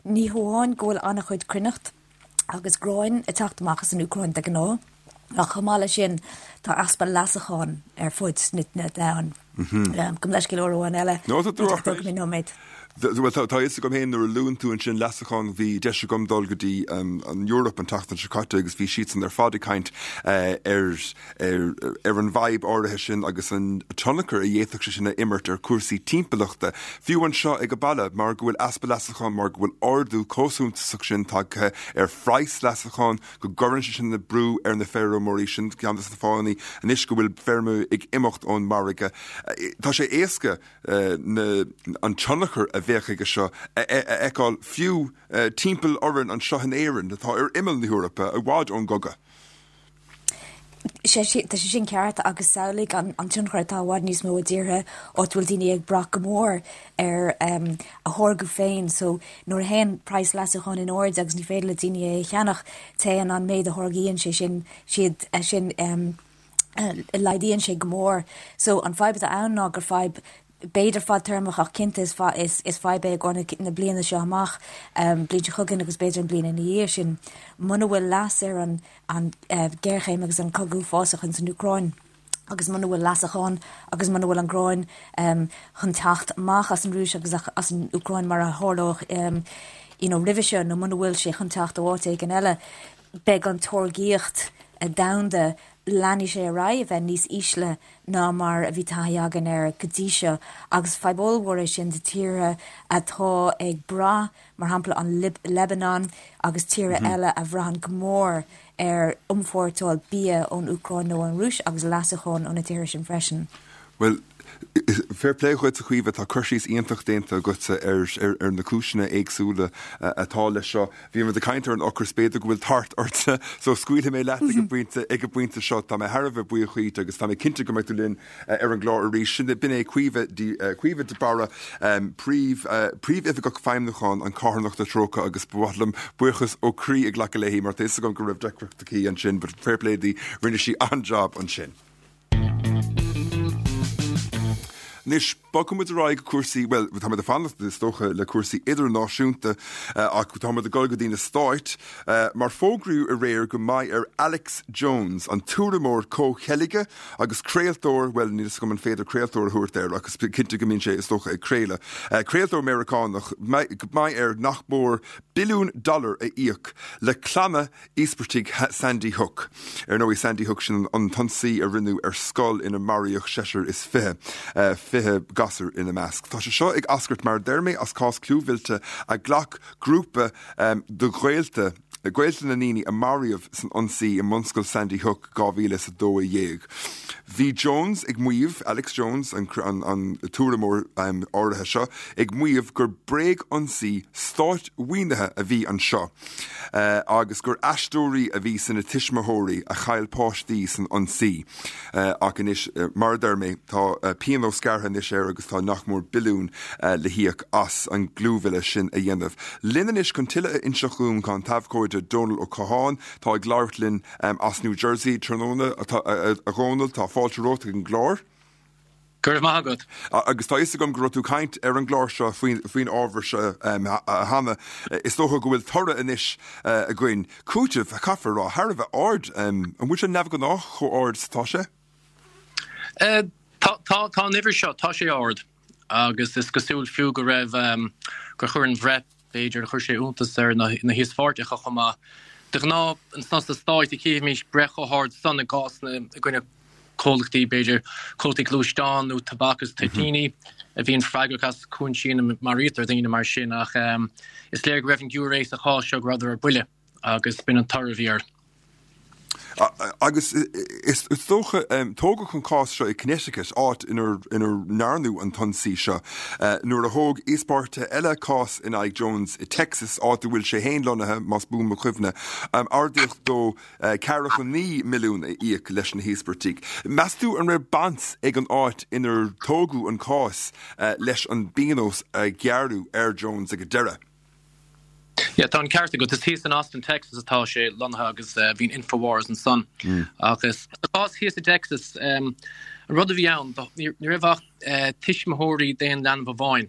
Ní hamháin go bhfuil an-chuid cruithneacht agus gráin ag teacht amach as an Úcráin de ghnáth, ach chomh maith leis sin tá easpa leasacháin ar fud na domhain. Gabh mo leithscéal uair amháin eile. No, tá tú alright. Nóiméad. Bhuel, tá a fhios agam féin nuair a luann tú ansin leasachán, bhí deis agam dul go dtí an Eoraip an tseachtain seo caite agus bhí siadsan ar fad ag caint ar ar an bhfadhb áirithe sin agus an tionchar a d'fhéadfadh sé sin a imirt ar chúrsaí timpeallachta, fiú anseo ag an baile, mar go bhfuil easpa leasachán, mar go bhfuil ardú chomh suntasach sin tagtha ar phraghas leasachán, go gcuireann sé sin brú ar na feirmeoirí. Sin ceann de na fáthanna anois go bhfuil feirmeoirí ag imeacht ón margadh. Tá sé éasca na, an tionchar a bheadh aige seo a fheiceáil fiú timpeall orainn anseo in Éirinn, atá ar imeall na hEorpa, i bhfad ón gcogadh. Tá sé sin ceart agus samhlaigh an tionchar atá i bhfad níos mó i dtíortha áit a bhfuil daoine ag brath go mór ar a tháirgeadh féin. So nuair a théann praghas leasúcháin in airde agus ní féidir le daoine é a cheannach, téann an méid a tháirgíonn sé sin siad sin laghdaíonn sé go mór. So an fadhb atá ann ná gur fadhb b'fhéidir fadtéarmach ach cinnte is fadhb é i gcomhair na bliana seo amach, bliain seo chugainn agus b'fhéidir an bliain ina dhiaidh sin. Muna bhfuil leas ar an an ghéarchéim agus an cogadh uafásach ins an Úcráin agus muna bhfuil leasachán agus muna bhfuil an gráin chun teacht amach as an Rúis agus as an Úcráin mar a tharlódh you know roimhe seo nó muna bhfuil sé chun teacht ó áit éigin eile, beidh an táirgíocht domhanda, leanfaidh sé ar aghaidh a bheith níos ísle ná mar a bhí taithí againn air go dtí seo agus fadhb ollmhór é sin do tíortha atá ag brath, mar shampla an Lebanon agus tíortha eile a bhraitheann go mór ar iompórtáil bia ón Úcráin nó ón Rúis agus leasachán ó na tíortha sin freisin. Bhuel, fair play dhuit a Chaoimhe, tá cur síos iontach déanta agatsa ar na cúiseanna éagsúla atá leis seo. Bhí muid ag caint ar an ocras, b'fhéidir go bhfuil tart ortsa, so scaoilfidh mé leat ag an bpointe, ag an bpointe seo. Tá mé thar a bheith buíoch dhuit agus tá mé cinnte go mbeidh tú linn ar an gclár arís. Sin, b'in é Caoimhe de, Caoimhe de Barra, Príomh, Príomhoifigeach Feidhmiúcháin an Carthanachta Trócaire agus ba mhaith liom buíochas ó chroí a ghlacadh léi mar tá fhios agam go raibh deacracht aici ansin but fair play di, rinne sí an-jab ansin. Anois, bogfaidh muid ar aghaidh go cúrsaí, bhuel, tá muid ag fanacht, is dócha, le cúrsaí idirnáisiúnta ach tá muid ag dul go dtí na Stáit mar fógraíodh aréir go mbeidh ar Alex Jones, an tuairimeoir comhcheilge agus craoltóir, bhuel, níl fhios agam an féidir craoltóir a thabhairt air ach is cinnte go mbíonn sé, is dócha, ag craoladh, craoltóir Meiriceánach, go mbeidh air nach mór billiún dollar a íoc le clanna íospartaigh Sandy Hook. Ar ndóigh, Sandy Hook, sin an t-ionsaí a rinneadh ar scoil ina maraíodh seisear is 20, 20 gasúr ina measc. Tá sé seo ag eascairt, mar a deir mé, as cás clúmhillte a ghlac grúpa de ghaolta, gaolta na ndaoine a maraíodh san ionsaí i mbunscoil Sandy Hook 2012. Bhí Jones ag maíomh, Alex Jones, an tuairimeoir áirithe seo, ag maíomh gur bréag-ionsaí stát-mhaoinithe a bhí anseo. agus gur aisteoirí a bhí sna tuismitheoirí a chaill páistí san ionsaí. Ach anois, mar a deir mé, tá pionós gearrtha anois air agus tá nach mór billiún le híoc as an gclúmhilleadh sin a dhéanamh. Linn anois chun tuilleadh a inseacht dhúinn tá an t-abhcóide Dónal Ó Catháin, atá ag labhairt linn as New Jersey tráthnóna. A Dhónaill, tá fáilte romhat ag an gclár. Go raibh maith agat. Agus tá a fhios agam go raibh tú ag caint ar an gclár seo faoin ábhar seo cheana. Is dócha go bhfuil toradh anois againn. Cúiteamh, caithfear a rá, thar a bheith ard. An bhfuil sé neamhghnách chomh ard is atá sé? Tá, tá an uimhir seo, tá sé ard. Agus is cosúil fiú go raibh, gur chuir an bhreith, B'fhéidir, chuir sé iontas ar na híospartaigh chomh maith. De ghnáth, sna Stáit, chífimís breith chomh hard san i gcásanna i gcoinne comhlachtaí, b'fhéidir, comhlachtaí gluaisteán nó tobac agus toitíní, a bhíonn freagrach as cúinsí ina maraítear daoine mar sin. Ach is léir go raibh an giúiré sa chás seo, go rabhadar ar buile agus b'in an toradh a bhí air. Agus is dócha, tógadh an cás seo i Connecticut, áit inar ndearnadh an t-ionsaí seo. Nuair a thóg íospartaithe eile cás in aghaidh Jones i Texas, áit a bhfuil sé féin lonnaithe, más buan mo chuimhne, ordaíodh dó 49 milliún a íoc leis na híospartaigh. Meas tú an raibh baint ag an áit inar tógadh an cás leis an bpionós a gearradh ar Jones ag an deireadh? Yeah, tá an ceart agat. Is thíos in Austin, Texas atá sé lonnaithe agus bhí an Infowars ansan. Agus sa chás thíos i dTexas, an rud a bhí ann, ní raibh ach tuismitheoirí d'aon leanbh amháin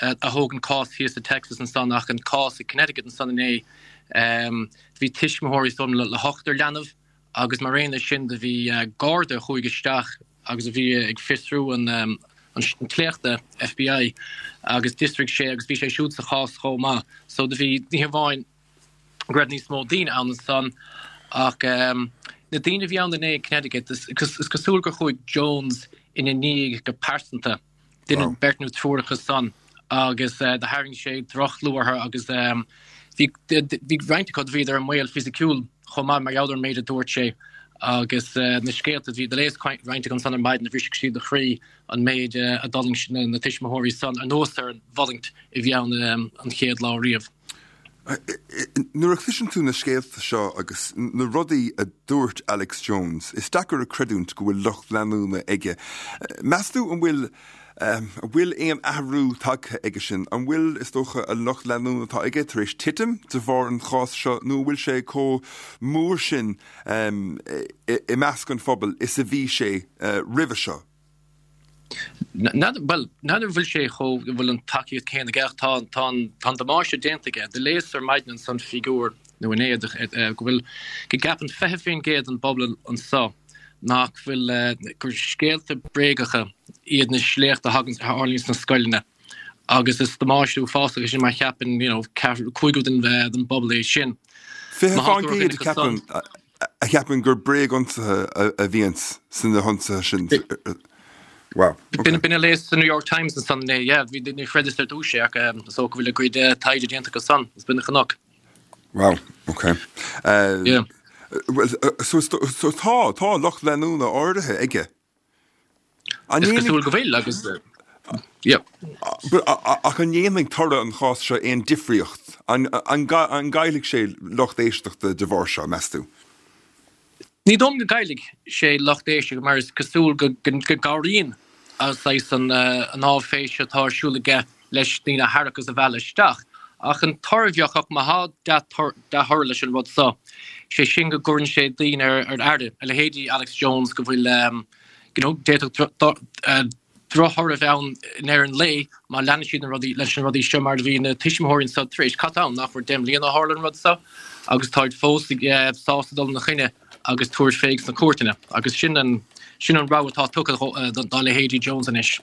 a thóg an cás thíos i Texas ansan ach an cás i Connecticut ansan inné, bhí tuismitheoirí is dóigh liom le hochtar leanbh agus mar aon leis sin do bhí garda a chuaigh isteach agus a bhí ag fiosrú an tsléachta, FBI, agus d'fhiosraigh sé agus bhí sé siúd sa chás chomh maith. So do bhí, ní hamháin go raibh níos mó daoine ann ansan ach na daoine a bhí ann inné in Connecticut, is cosúil gur chuaigh Jones ina ndiaidh go pearsanta. Duine, beirt nó triúr acu san agus do tharraing sé droch-chlú orthu agus bhí bhí roinnt acu do bhíodar i mbaol fisiciúil chomh maith mar gheall ar an méid a dúirt sé agus na scéalta bhí do léas roinnt acu ansan ar maidin a bhrisfeadh siad do chroí an méid a d'fhulaing na tuismitheoirí san anuas ar an bhfulaingt a bhí ann an chéad lá riamh. Nuair a chloiseann tú na scéalta seo agus na rudaí a dúirt Alex Jones, is deacair a chreidiúint go bhfuil lucht leanúna aige. Meas tú an bhfuil an bhfuil aon athrú tagtha aige sin? An bhfuil, is dócha, an lucht leanúna atá aige tar éis titim de bharr an chás seo nó an bhfuil sé chomh mór sin i measc an phobail is a bhí sé roimhe seo? N'fheadar, bhuel, n'fheadar an bhfuil sé chomh, an bhfuil an tacaíocht céanna aige ach tá, tá an, tá an damáiste déanta aige. Do léas ar maidin ansan figiúr, nó inné, go bhfuil, go gceapann 20% den bpobal anso nach bhfuil, gur scéalta bréagacha iad na sléachta a thagann, a tharlaíonn sna scoileanna agus is damáiste uafásach é sin má cheapann, you know, ceathrú, cúigiú den, den bpobal é sin. 20% a cheapann, a cheapann gur bréag-ionsaithe a bhíonns sna hionsaithe sin. Wow. Okay. B'in a léas sa New York Times ansan inné, yeah, bhí ní chreideas ar dtús é ach is dócha go bhfuil a gcuid taighde déanta acu san, is b'in a chonac. Wow, okay. Uh, yeah. Well, so, so tá, tá lucht leanúna áirithe aige. Is cosúil go bhfuil agus yeah. Ach an ndéanfaidh toradh an chás seo aon difríocht? An gcaillfidh sé lucht éisteachta de bharr seo, meas tú? Ní dóigh liom go gcaillfidh sé lucht éisteachta mar is cosúil go gcabhraíonn saghas an áiféis atá ar siúl aige leis daoine a tharrac agus a mhealladh isteach. Ach an toradh a bheadh ach má thá dea-thoradh leis an rud so, sé sin go gcuireann sé daoine ar aire, a leithéidí Alex Jones, go bhfuil, you know, d'fhéadfadh drochthoradh a bheith ann i ndeireadh an lae má leanann siad na rudaí, leis na rudaí seo mar a bhí na tuismitheoirí anso tar éis. Cad ann nach bhfuil 10 mbliana ó tharla an rud so agus táid fós sásta dul ina choinne agus tabhairt fé sna cúirteanna agus sin an, sin an rogha atá tugtha dá leithéidí Jones anois.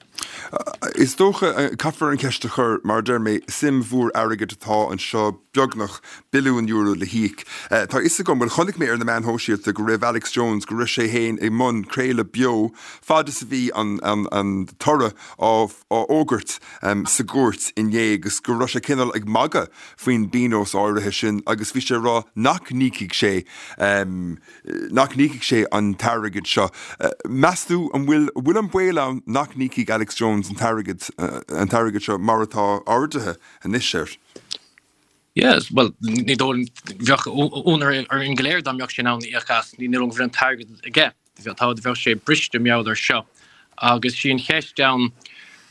Is dócha, caithfear an cheist a chur, mar a deir mé, suim mhór airgid atá anseo, beagnach billiún euro le híoc. Tá a fhios agam, bhuel chonaic mé ar na meáin shóisialta go raibh Alex Jones, go raibh sé féin i mbun craoladh beo fad is a bhí an an toradh á fhógairt sa gcúirt inné agus go raibh sé cineál ag magadh faoin bpionós áirithe sin agus bhí sé ag rá nach n-íocfaidh sé nach n-íocfaidh sé an t-airgead seo. Meas tú an bhfuil bhfuil an baol ann nach n-íocfaidh Alex Jones an t-airgead an t-airgead seo mar atá ardaithe anois air? Yes, bhuel, ní dóigh liom, bheadh ionadh orainn go léir dá mbeadh sé in ann íoc as, ní dóigh liom go bhfuil an t-airgead aige. Tá, bheadh sé briste mar gheall air seo. Agus sí an cheist ann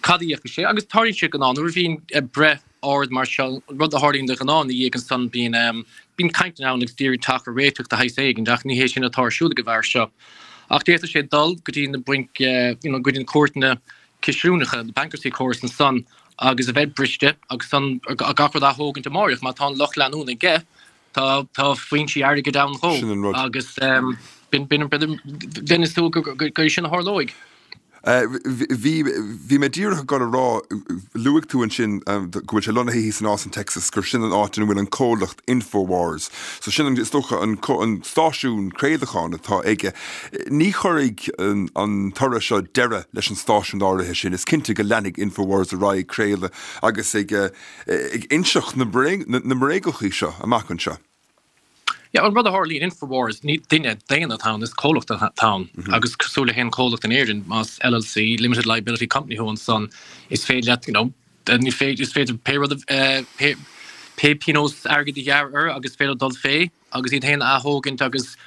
cad a íocfaidh sé, agus tarlaíonn sé de ghnáth, nuair a bhíonn breith ard mar seo, an rud a tharlaíonn de ghnáth ina dhiaidh ansan, bíonn, bíonn caint ann agus d'iarraidh teacht ar réiteach de shaghas éigin, ach ní hé sin atá ar siúl ag an bhfear seo. Ach d'fhéadfadh sé dul go dtí na bainc, you know, go dtí na cúirteanna cinsiúnacha, the bankruptcy courts ansan, agus a bheith briste agus san gach rud a ath-thógaint amáireach, má tá an lucht leanúna aige, Tá tá foinsí airgid ann dhó Sin an rud. agus b'in b'in b'in is dóigh gur gur sin a tharlóidh. Bhí bhí mé díreach ag dul a rá, luaigh tú ansin go bhfuil sé lonnaithe thíos in Austin, Texas, gur sin an áit ina bhfuil an comhlacht Infowars. So sin an, is dócha, an an stáisiún craolacháin atá aige. Ní chuirfidh an an toradh seo deireadh leis an stáisiún áirithe sin. Is cinnte go leanfaidh Infowars ar aghaidh ag craoladh agus ag ag inseacht na mbréagachaí seo amach anseo. Yeah, an rud a tharlaíonn, Infowars, ní duine daonna atá ann, is comhlacht atá ann. Agus cosúil le haon chomhlacht in Éirinn, más LLC, Limited Liability Company thú ansan, is féidir leat, you know, ní féidir, is féidir pé rud, pé, pé pionós airgid a ghearradh orthu agus is féidir dul fé agus iad féin a ath-thógaint agus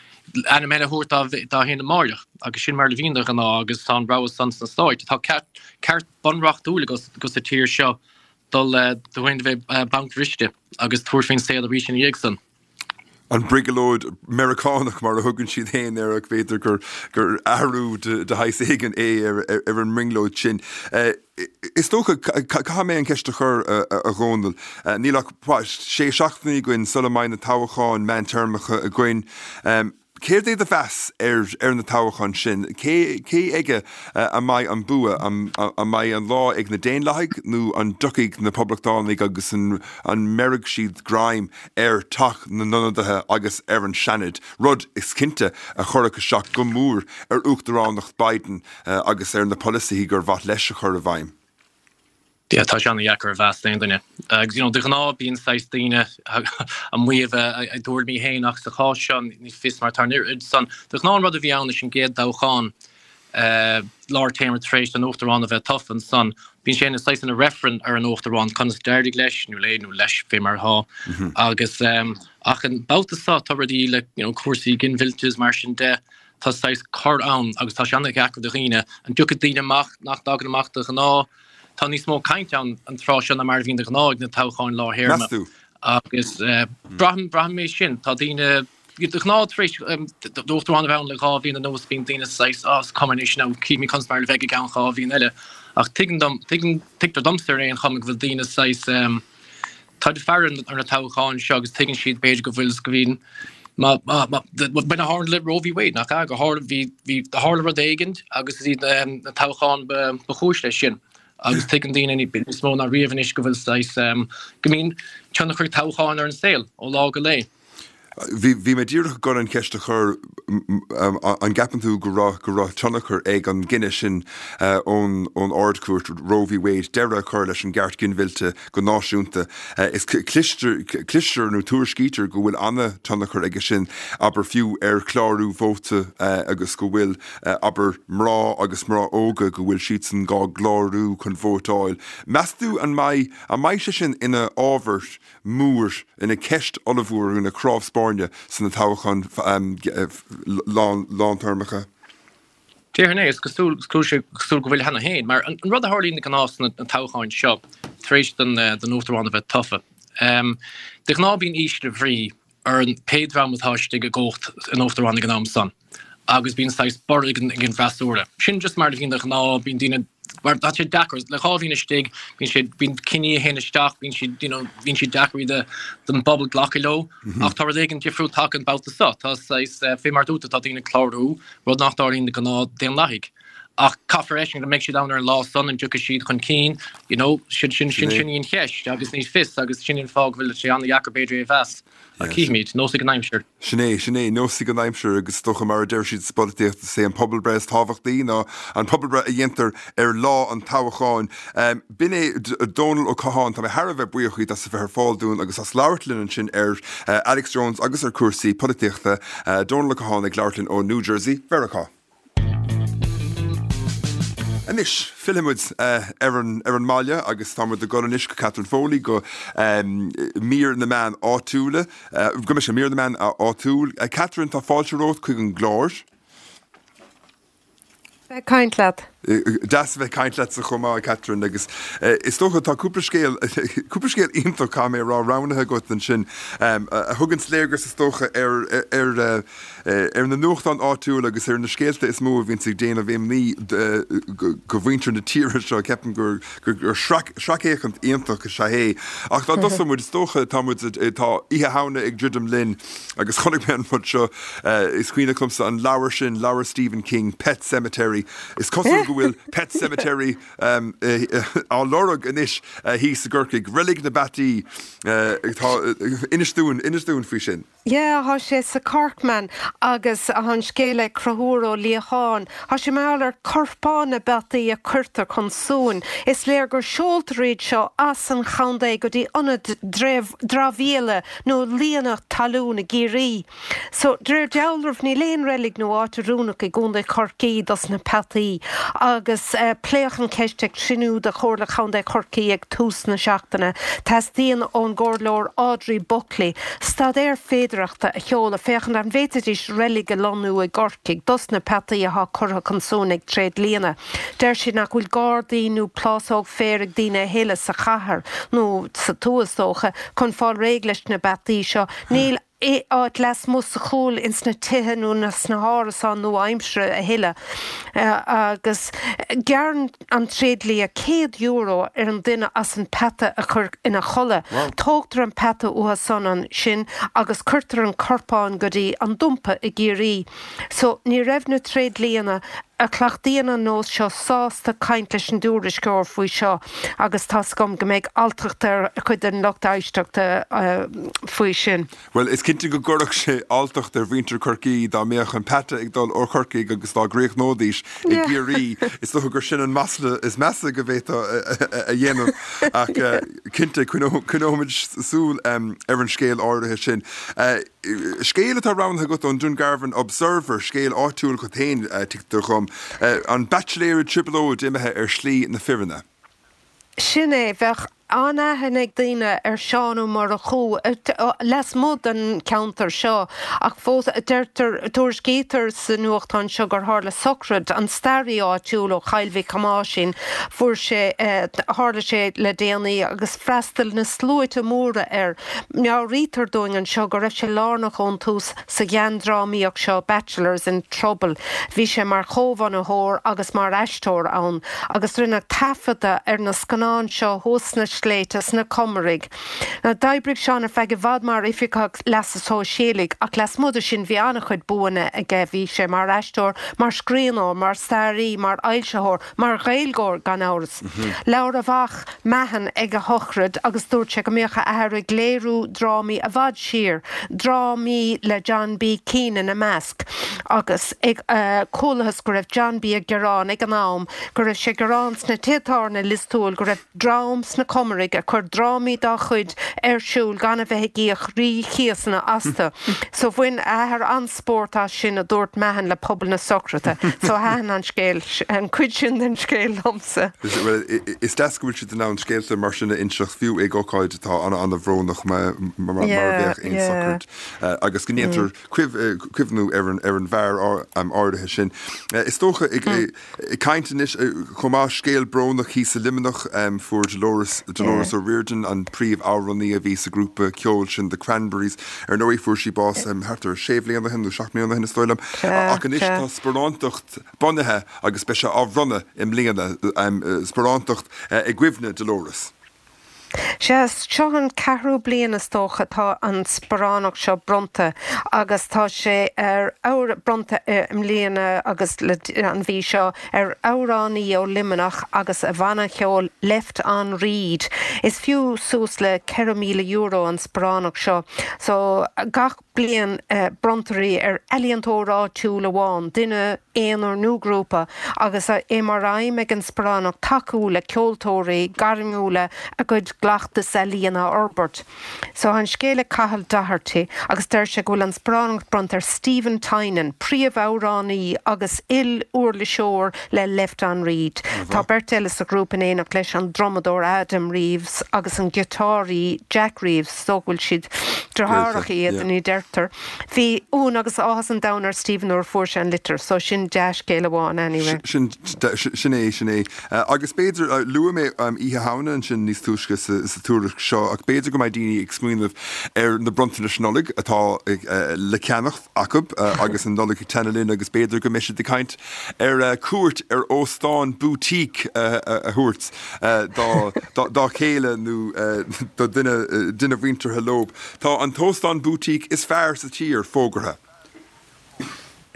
ainm eile a thabhairt dá féin amáireach. Agus sin mar a bhíonn de ghnáth agus tá an rogha san sna Stáit. Tá ceart, ceart bunreachtúil agat sa tír seo dul tú féin a bheith bancbhriste agus tabhairt faoin saol arís ina dhiaidh san. An brioglóid Meiriceánach mar a thugann siad féin air ach b'fhéidir gur gur athrú de shaghas éigin é ar ar an mbrionglóid sin. Is dócha, caithfidh mé an cheist a chur, a Dhónaill, níl ach sé seachtainí againn sula mbeidh na toghcháin meántéarmacha againn. Céard é do mheas ar ar na toghcháin sin? Cé cé aige a mbeidh an bua? An mbeidh an lá ag na Daonlathaigh nó an dtiocfaidh na Poblachtánaigh agus an an mbeirfidh siad greim ar Teach na nIonadaithe agus ar an Seanad, rud, is cinnte, a chuirfeadh isteach go mór ar uachtaránacht Biden agus ar na polasaithe gur mhaith leis a chur i bhfeidhm? Yeah, tá sé an-dheacair a mheas d'aon duine. Agus, you know, de ghnáth bíonn saghas daoine ag maíomh a dtuairimí féin ach sa chás seo ní fios mar tá an oiread san. De ghnáth an rud a bhí ann leis an gcéad toghchán. Lár téarma tar éis don Uachtarán a bheith tofa ansan. Bíonn sé ina saghas ina reifreann ar an Uachtarán conas d'éirigh leis nó léi nó leis fé mar atá. Agus ach an babhta seo tá rudaí le you know cúrsaí ginmhillte is mar sin de, tá saghas cor ann agus tá sé an-dheacair do dhaoine. An dtiocfaidh daoine amach nach dtagann amach de ghnáth? Tá níos mó cainte ann an tráth seo ná mar a bhíonn de ghnáth ag na toghcháin lár théarma. Meas tú? Agus braithim, braithim é sin. Tá daoine, de ghnáth tar éis d'uachtarán a bheith ann le 2 bhliain anuas bíonn daoine saghas ah is cuma anois now cífimid conas mar a bheidh i gceann 2 bhliain eile. Ach tuigeann dom, tuigeann, tuigtear domsa ar aon chuma go bhfuil daoine saghas tá siad ag faire ar na toghcháin seo agus tuigeann siad b'fhéidir go bhfuil go bhíonn má má má b'in a tharla le Roe v Wade nach ea gur tharla bhí bhí tharla rud éigin agus is iad na toghcháin ba ba chúis leis sin. Agus tuigeann daoine níos mó ná riamh anois go bhfuil saghas go mbíonn tionchar ag toghcháin ar an saol ó lá go lá. Bhí, bhí mé díreach ag dul an cheist a chur, an gceapann tú go raibh, go raibh tionchar ag an gcinneadh sin ón, ón Ard-Chúirt, Roe v Wade, deireadh a chur leis an gceart ginmhillte go náisiúnta. Is cloistear, cloistear nó tuairiscítear go bhfuil an-tionchar aige sin, abair fiú ar chlárú vóta agus go bhfuil, abair, mná agus mná óga, go bhfuil siadsan dhá gclárú chun vótáil. Meas tú an mbeidh, an mbeidh sé sin ina ábhar mór, ina cheist ollmhór, ina cnámh spairne sna toghcháin lántéarmacha. Déarfainn é, is cosúil, is cosúil go bhfuil cheana féin, mar an rud a tharlaíonn de ghnáth sna toghcháin seo, tar éis don Uachtarán a bheith tofa, de ghnáth bíonn ísle bhrí ar an pé dream atá istigh i gcumhacht an Uachtaráin ag an am san agus bíonn saghas borradh ag an ag an bhfreasúra. Sin just mar a bhíonn de ghnáth, bíonn daoine mar tá sé deacair le 2 bhliain istigh, bíonn sé bíonn cinní a théann isteach, bíonn siad you know bíonn siad deacair do don bpobal glacadh leo ach tá rud éigin difriúil tagtha an babhta seo. Tá saghas fé mar dúirt tú tá daoine ag clárú, rud nach dtarlaíonn de ghnáth daonlathaigh. Ach caithfear a fheiscint an mbeidh siad ann ar an lá san, an dtiocfaidh siad chun cinn, you know, sin sin sin sin í an cheist agus ní fios agus sin an fáth go bhfuil sé an-dheacair b'fhéidir é a mheas. Ach cífimid, neosfaidh an aimsir. Sin é, sin é, neosfaidh an aimsir agus is dócha mar a deir siad sa bpolaitíocht is é an pobalbhreith is tábhachtaí ná an pobalbhreith a dhéantar ar lá an toghcháin. B'in é Dónal Ó Catháin, tá mé thar a bheith buíoch díot as a bheith ar fáil dúinn agus as labhairt linn ansin ar Alex Jones agus ar chúrsaí polaitíochta. Dónal Ó Catháin ag labhairt linn ó New Jersey, Mheiriceá. Anois, fillfidh muid ar an ar an mbaile agus tá muid ag dul anois go Catherine Foley go mír na meán áitiúla, go mise, mír na meán áitiúil. Catherine, tá fáilte romhat chuig an gclár. Bheith ag caint leat. Deas a bheith ag caint leatsa chomh maith, Catherine, agus is dócha tá cúpla scéal, cúpla scéal iontach, caithfidh mé a rá, roghnaithe agat ansin a thuganns léargas is dócha ar ar ar na nuachtáin áitiúla agus ar na scéalta is mó a bhíonns ag déanamh imní do mhuintir na tíre seo. Ceapaim gur sracfhéachaint iontach is ea é. Ach dá dtosódh muid, is dócha, tá muid, tá Oíche Shamhna ag druidim linn agus chonaic mé an rud seo, is cuimhneach liomsa an leabhar sin, leabhar Stephen King, Pet Sematary. Is cosúil go bhfuil Pet Sematary á lorg anois thíos i gCorcaigh. Reilig na bPeataí, tá, inis dúinn, inis dúinn faoi sin. Yeah, thá sé sa Corkman agus thá an scéal ag Conchúr Ó Liacháin. Thá sé mar gheall ar corpáin na bpeataí a cuirtear chun suain. Is léir gur seoltar iad seo as an chontae go dtí ionad dramhaíola nó líonadh talún i gCiarraí. So, de réir dealraimh, níl aon reilig nó áit oiriúnach i gContae Chorcaí dos na peataí agus pléadh an cheist ag cruinniú de Chomhairle Chontae Chorcaí ag tús na seachtaine. Teastaíonn ón gComhairleoir Audrey Buckley staidéar féidearthachta a sheoladh féachaint an bhféadfaidís reilig a lonnú i gCorcaigh dos na peataí athá curtha chun suain ag tréidlianna. Deir siad nach bhfuil gardaí nó plásóg féir ag daoine a thuilleadh sa chathair, nó sa tuath is dócha, chun fáil réidh leis na bpeataí seo. Níl áit lasmuigh sa chúl ins na tithe nó sna hárasáin nua-aimseartha a thuilleadh agus gearrann an tréidlia €100 ar an duine as an peata a chur ina chodladh. Tógtar an peata uathu san ansin agus cuirtear an corpán go dtí an dumpa i gCiarraí. So ní raibh na tréidlianna a chleachtaíonn an nós seo sásta caint leis an dtuairisceoir faoi seo agus tá's agam go mbeidh alltacht ar chuid den lucht éisteachta faoi sin. Bhuel, is cinnte go gcuirfeadh sé alltacht ar mhuintir Chorcaí dá mbeadh an peata ag dul ó Chorcaigh agus dá gcríochnóidís i gCiarraí. Is dócha gur sin an masla is measa go bhféadfá a dhéanamh ach cinnte coinneoimid súil ar an scéal áirithe sin. Scéal atá roghnaithe agat ón Dungarvan Observer, scéal áitiúil agat féin, tuigtear dhom. An baitsiléir i dtrioblóid imithe ar shlí na firinne. Sin é. Bheadh an-aithne ag daoine ar Seán Ó Murchú lasmuigh den cheantar seo ach fós deirtear, tuairiscítear sa nuachtán seo gur tharla sochraid an staraí áitiúil ó Chill Mhic Thomáisín, fuair sé, tharla sé le déanaí agus freastal na sluaite móra air. Meabhraítear dúinn anseo go raibh sé lárnach ón tús sa gheandrámaíocht seo Bachelors in Trouble. Bhí sé mar chomhbhunaitheoir agus mar aisteoir ann agus rinneadh taifeadadh ar na scannáin seo thuas sna sléibhte sna Comaraigh. D'oibrigh Seán ar feadh i bhfad mar oifigeach leasa sóisialaigh ach lasmuigh de sin bhí an-chuid buanna aige, bhí sé mar aisteoir, mar scríbhneoir, mar staraí, mar fhoilsitheoir, Mar Ghaeilgeoir, gan amhras. Labhair a mhac, Mahon, ag a shochraid agus dúirt sé go mbíodh a athair ag léiriú drámaí i bhfad siar, drámaí le John B. Keane ina measc, agus ag chualathas go raibh John B. ag gearán ag an am go raibh sé ag gearán sna tithe tábhairne i Lios Tuathail go raibh dream sna Comaraigh ag cur drámaí dá chuid ar siúl gan a bheith ag íoc rí-chíosanna astu. So bhain a athair an-spórt as sin, a dúirt Mahon le pobal na sochraide. So thaitin an scéal, an cuid sin den scéal liomsa. Bhuel, is deas go bhfuil siad in ann scéalta mar sin a inseacht, fiú ag ócáid atá an-an-bhrónach mar a bheadh aon sochraid, agus go ndéantar cuimhniú ar an bhfear áirithe sin. Is dócha, ag caint anois chomh maith, scéal brónach thíos i Luimneach, fuair Dolores, Dolores O'Riordan, an príomh-amhránaí a bhí sa ghrúpa ceoil sin The Cranberries, ar ndóigh fuair sí bás thart ar sé bhliain ó shin nó seacht mbliana ó shin is dóigh liom. Ach anois tá sparántacht bunaithe agus beidh sé á bhronnadh i mbliana, sparántacht i gcuimhne Dolores. Sea, seo an ceathrú bliain is dócha atá an sparánacht seo bronnta agus tá sé ar bronnta i mbliana agus le an mhí seo ar amhránaí ó Luimneach agus a bhanna cheoil Left on Read. Is fiú suas le €4,000 an sparánacht seo so gach bliain bronntar í ar ealaíontóir áitiúil amháin, duine aonair nó grúpa, agus é mar aidhm ag an sparánacht tacú le ceoltóirí gairmiúla a gcuid gcleachtas ealaíon a fhorbairt. So tá an scéal ag Cathal Doherty agus deir sé go bhfuil an sparánacht bronnta ar Stephen Tynan, príomh-amhránaí agus il-uirliseoir le Left on Read. Tá beirt eile sa ghrúpa in éineacht leis, an drumadóir Adam Reeves agus an giotáraí Jack Reeves. Is dócha go bhfuil siad deartháireacha iad, ní deirtear. Bhí ionadh agus áthas an domhain ar Stephen nuair a fuair sé an litir, so sin dea-scéal amháin anyway. Sin, sin é, sin é. Agus b'fhéidir, luaigh mé Oíche Shamhna ansin níos túisce sa tuairisc seo, ach b'fhéidir go mbeidh daoine ag smaoineamh ar na bronntanais Nollag atá le ceannacht acu agus an Nollaig ag teannadh linn agus b'fhéidir go mbeidh siad ag caint ar cuairt ar óstán boutique a thabhairt dá chéile nó do dhuine mhuinteartha leo. Tá an t-óstán boutique is fearr sa tír fógartha.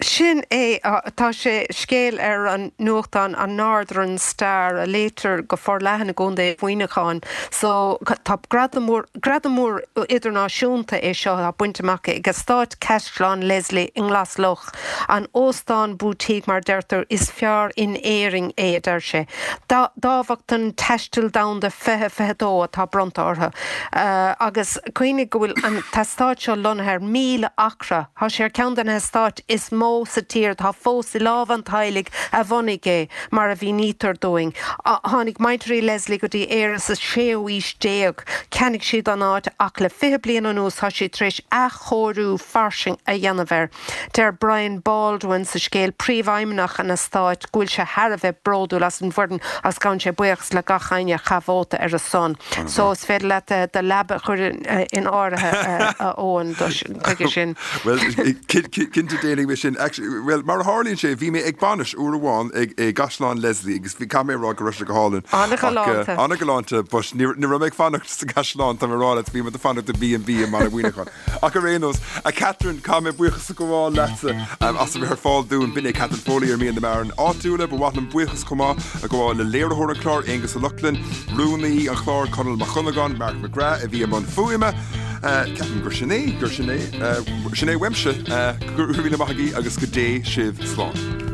Sin é, tá sé scéal ar an nuachtán an Northern Star a léitear go forleathan i gContae Mhuineacháin. So tá gradam mór, gradam mór idirnáisiúnta é seo atá bainte amach ag Eastát Caisleán Leslie i nGlas Loch. An óstán boutique, mar a deirtear, is fearr in Éirinn é, a deir sé. Dámhachtain Taistil Domhanda 2022 atá bronnta orthu. Agus cuimhnigh go bhfuil an t-eastát seo lonnaithe ar 1,000 acra. Tá sé ar cheann de na heastáit is mó sa tír atá fós i lámha an teaghlaigh a bhunaigh é, mar a mhínítear dúinn. Tháinig muintir Leslie go dtí Éire sa séú haois déag. Cheannaigh siad an áit ach le 20 bliain anuas tá siad tar éis athchóiriú fairsing a dhéanamh air. Deir Brian Baldwin sa scéal, príomhfheidhmeannach an eastáit, go bhfuil sé thar a bheith bródúil as an bhfoireann agus gabhann sé buíochas le gach éinne a chaith vóta ar a son. So is féidir leat do leaba a chur in áirithe, a Eoin, chuige sin. Bhuel, cinnte déanfaidh mé sin. Bhuel, mar a tharlaíonn sé, bhí mé ag bainis uair amháin i gCaisleán Leslie agus caithfidh mé a rá go raibh sé go hálainn. An-ghalánta. An-ghalánta, but ní raibh mé ag fanacht sa gcaisleán, tá mé ag rá leat, bhí mé ag fanacht i B&B i mBaile Mhuineacháin. Ach ar aon nós, a Catherine, caithfidh mé buíochas a ghabháil leatsa as a bheith ar fáil dúinn. B'in é Catherine Foley ar Mír na Meán Áitiúla. Ba mhaith liom buíochas chomh maith a ghabháil le léiritheoir an chláir, Aonghus Ó Lochlainn, rúnaí an chláir, Conall Mac Dhonnagáin, Mark McGrath a bhí i mbun fuaime. Ceapaim gur sin é, gur sin é, sin é uaimse. Go raibh míle maith agaibh agus go dté sibh slán.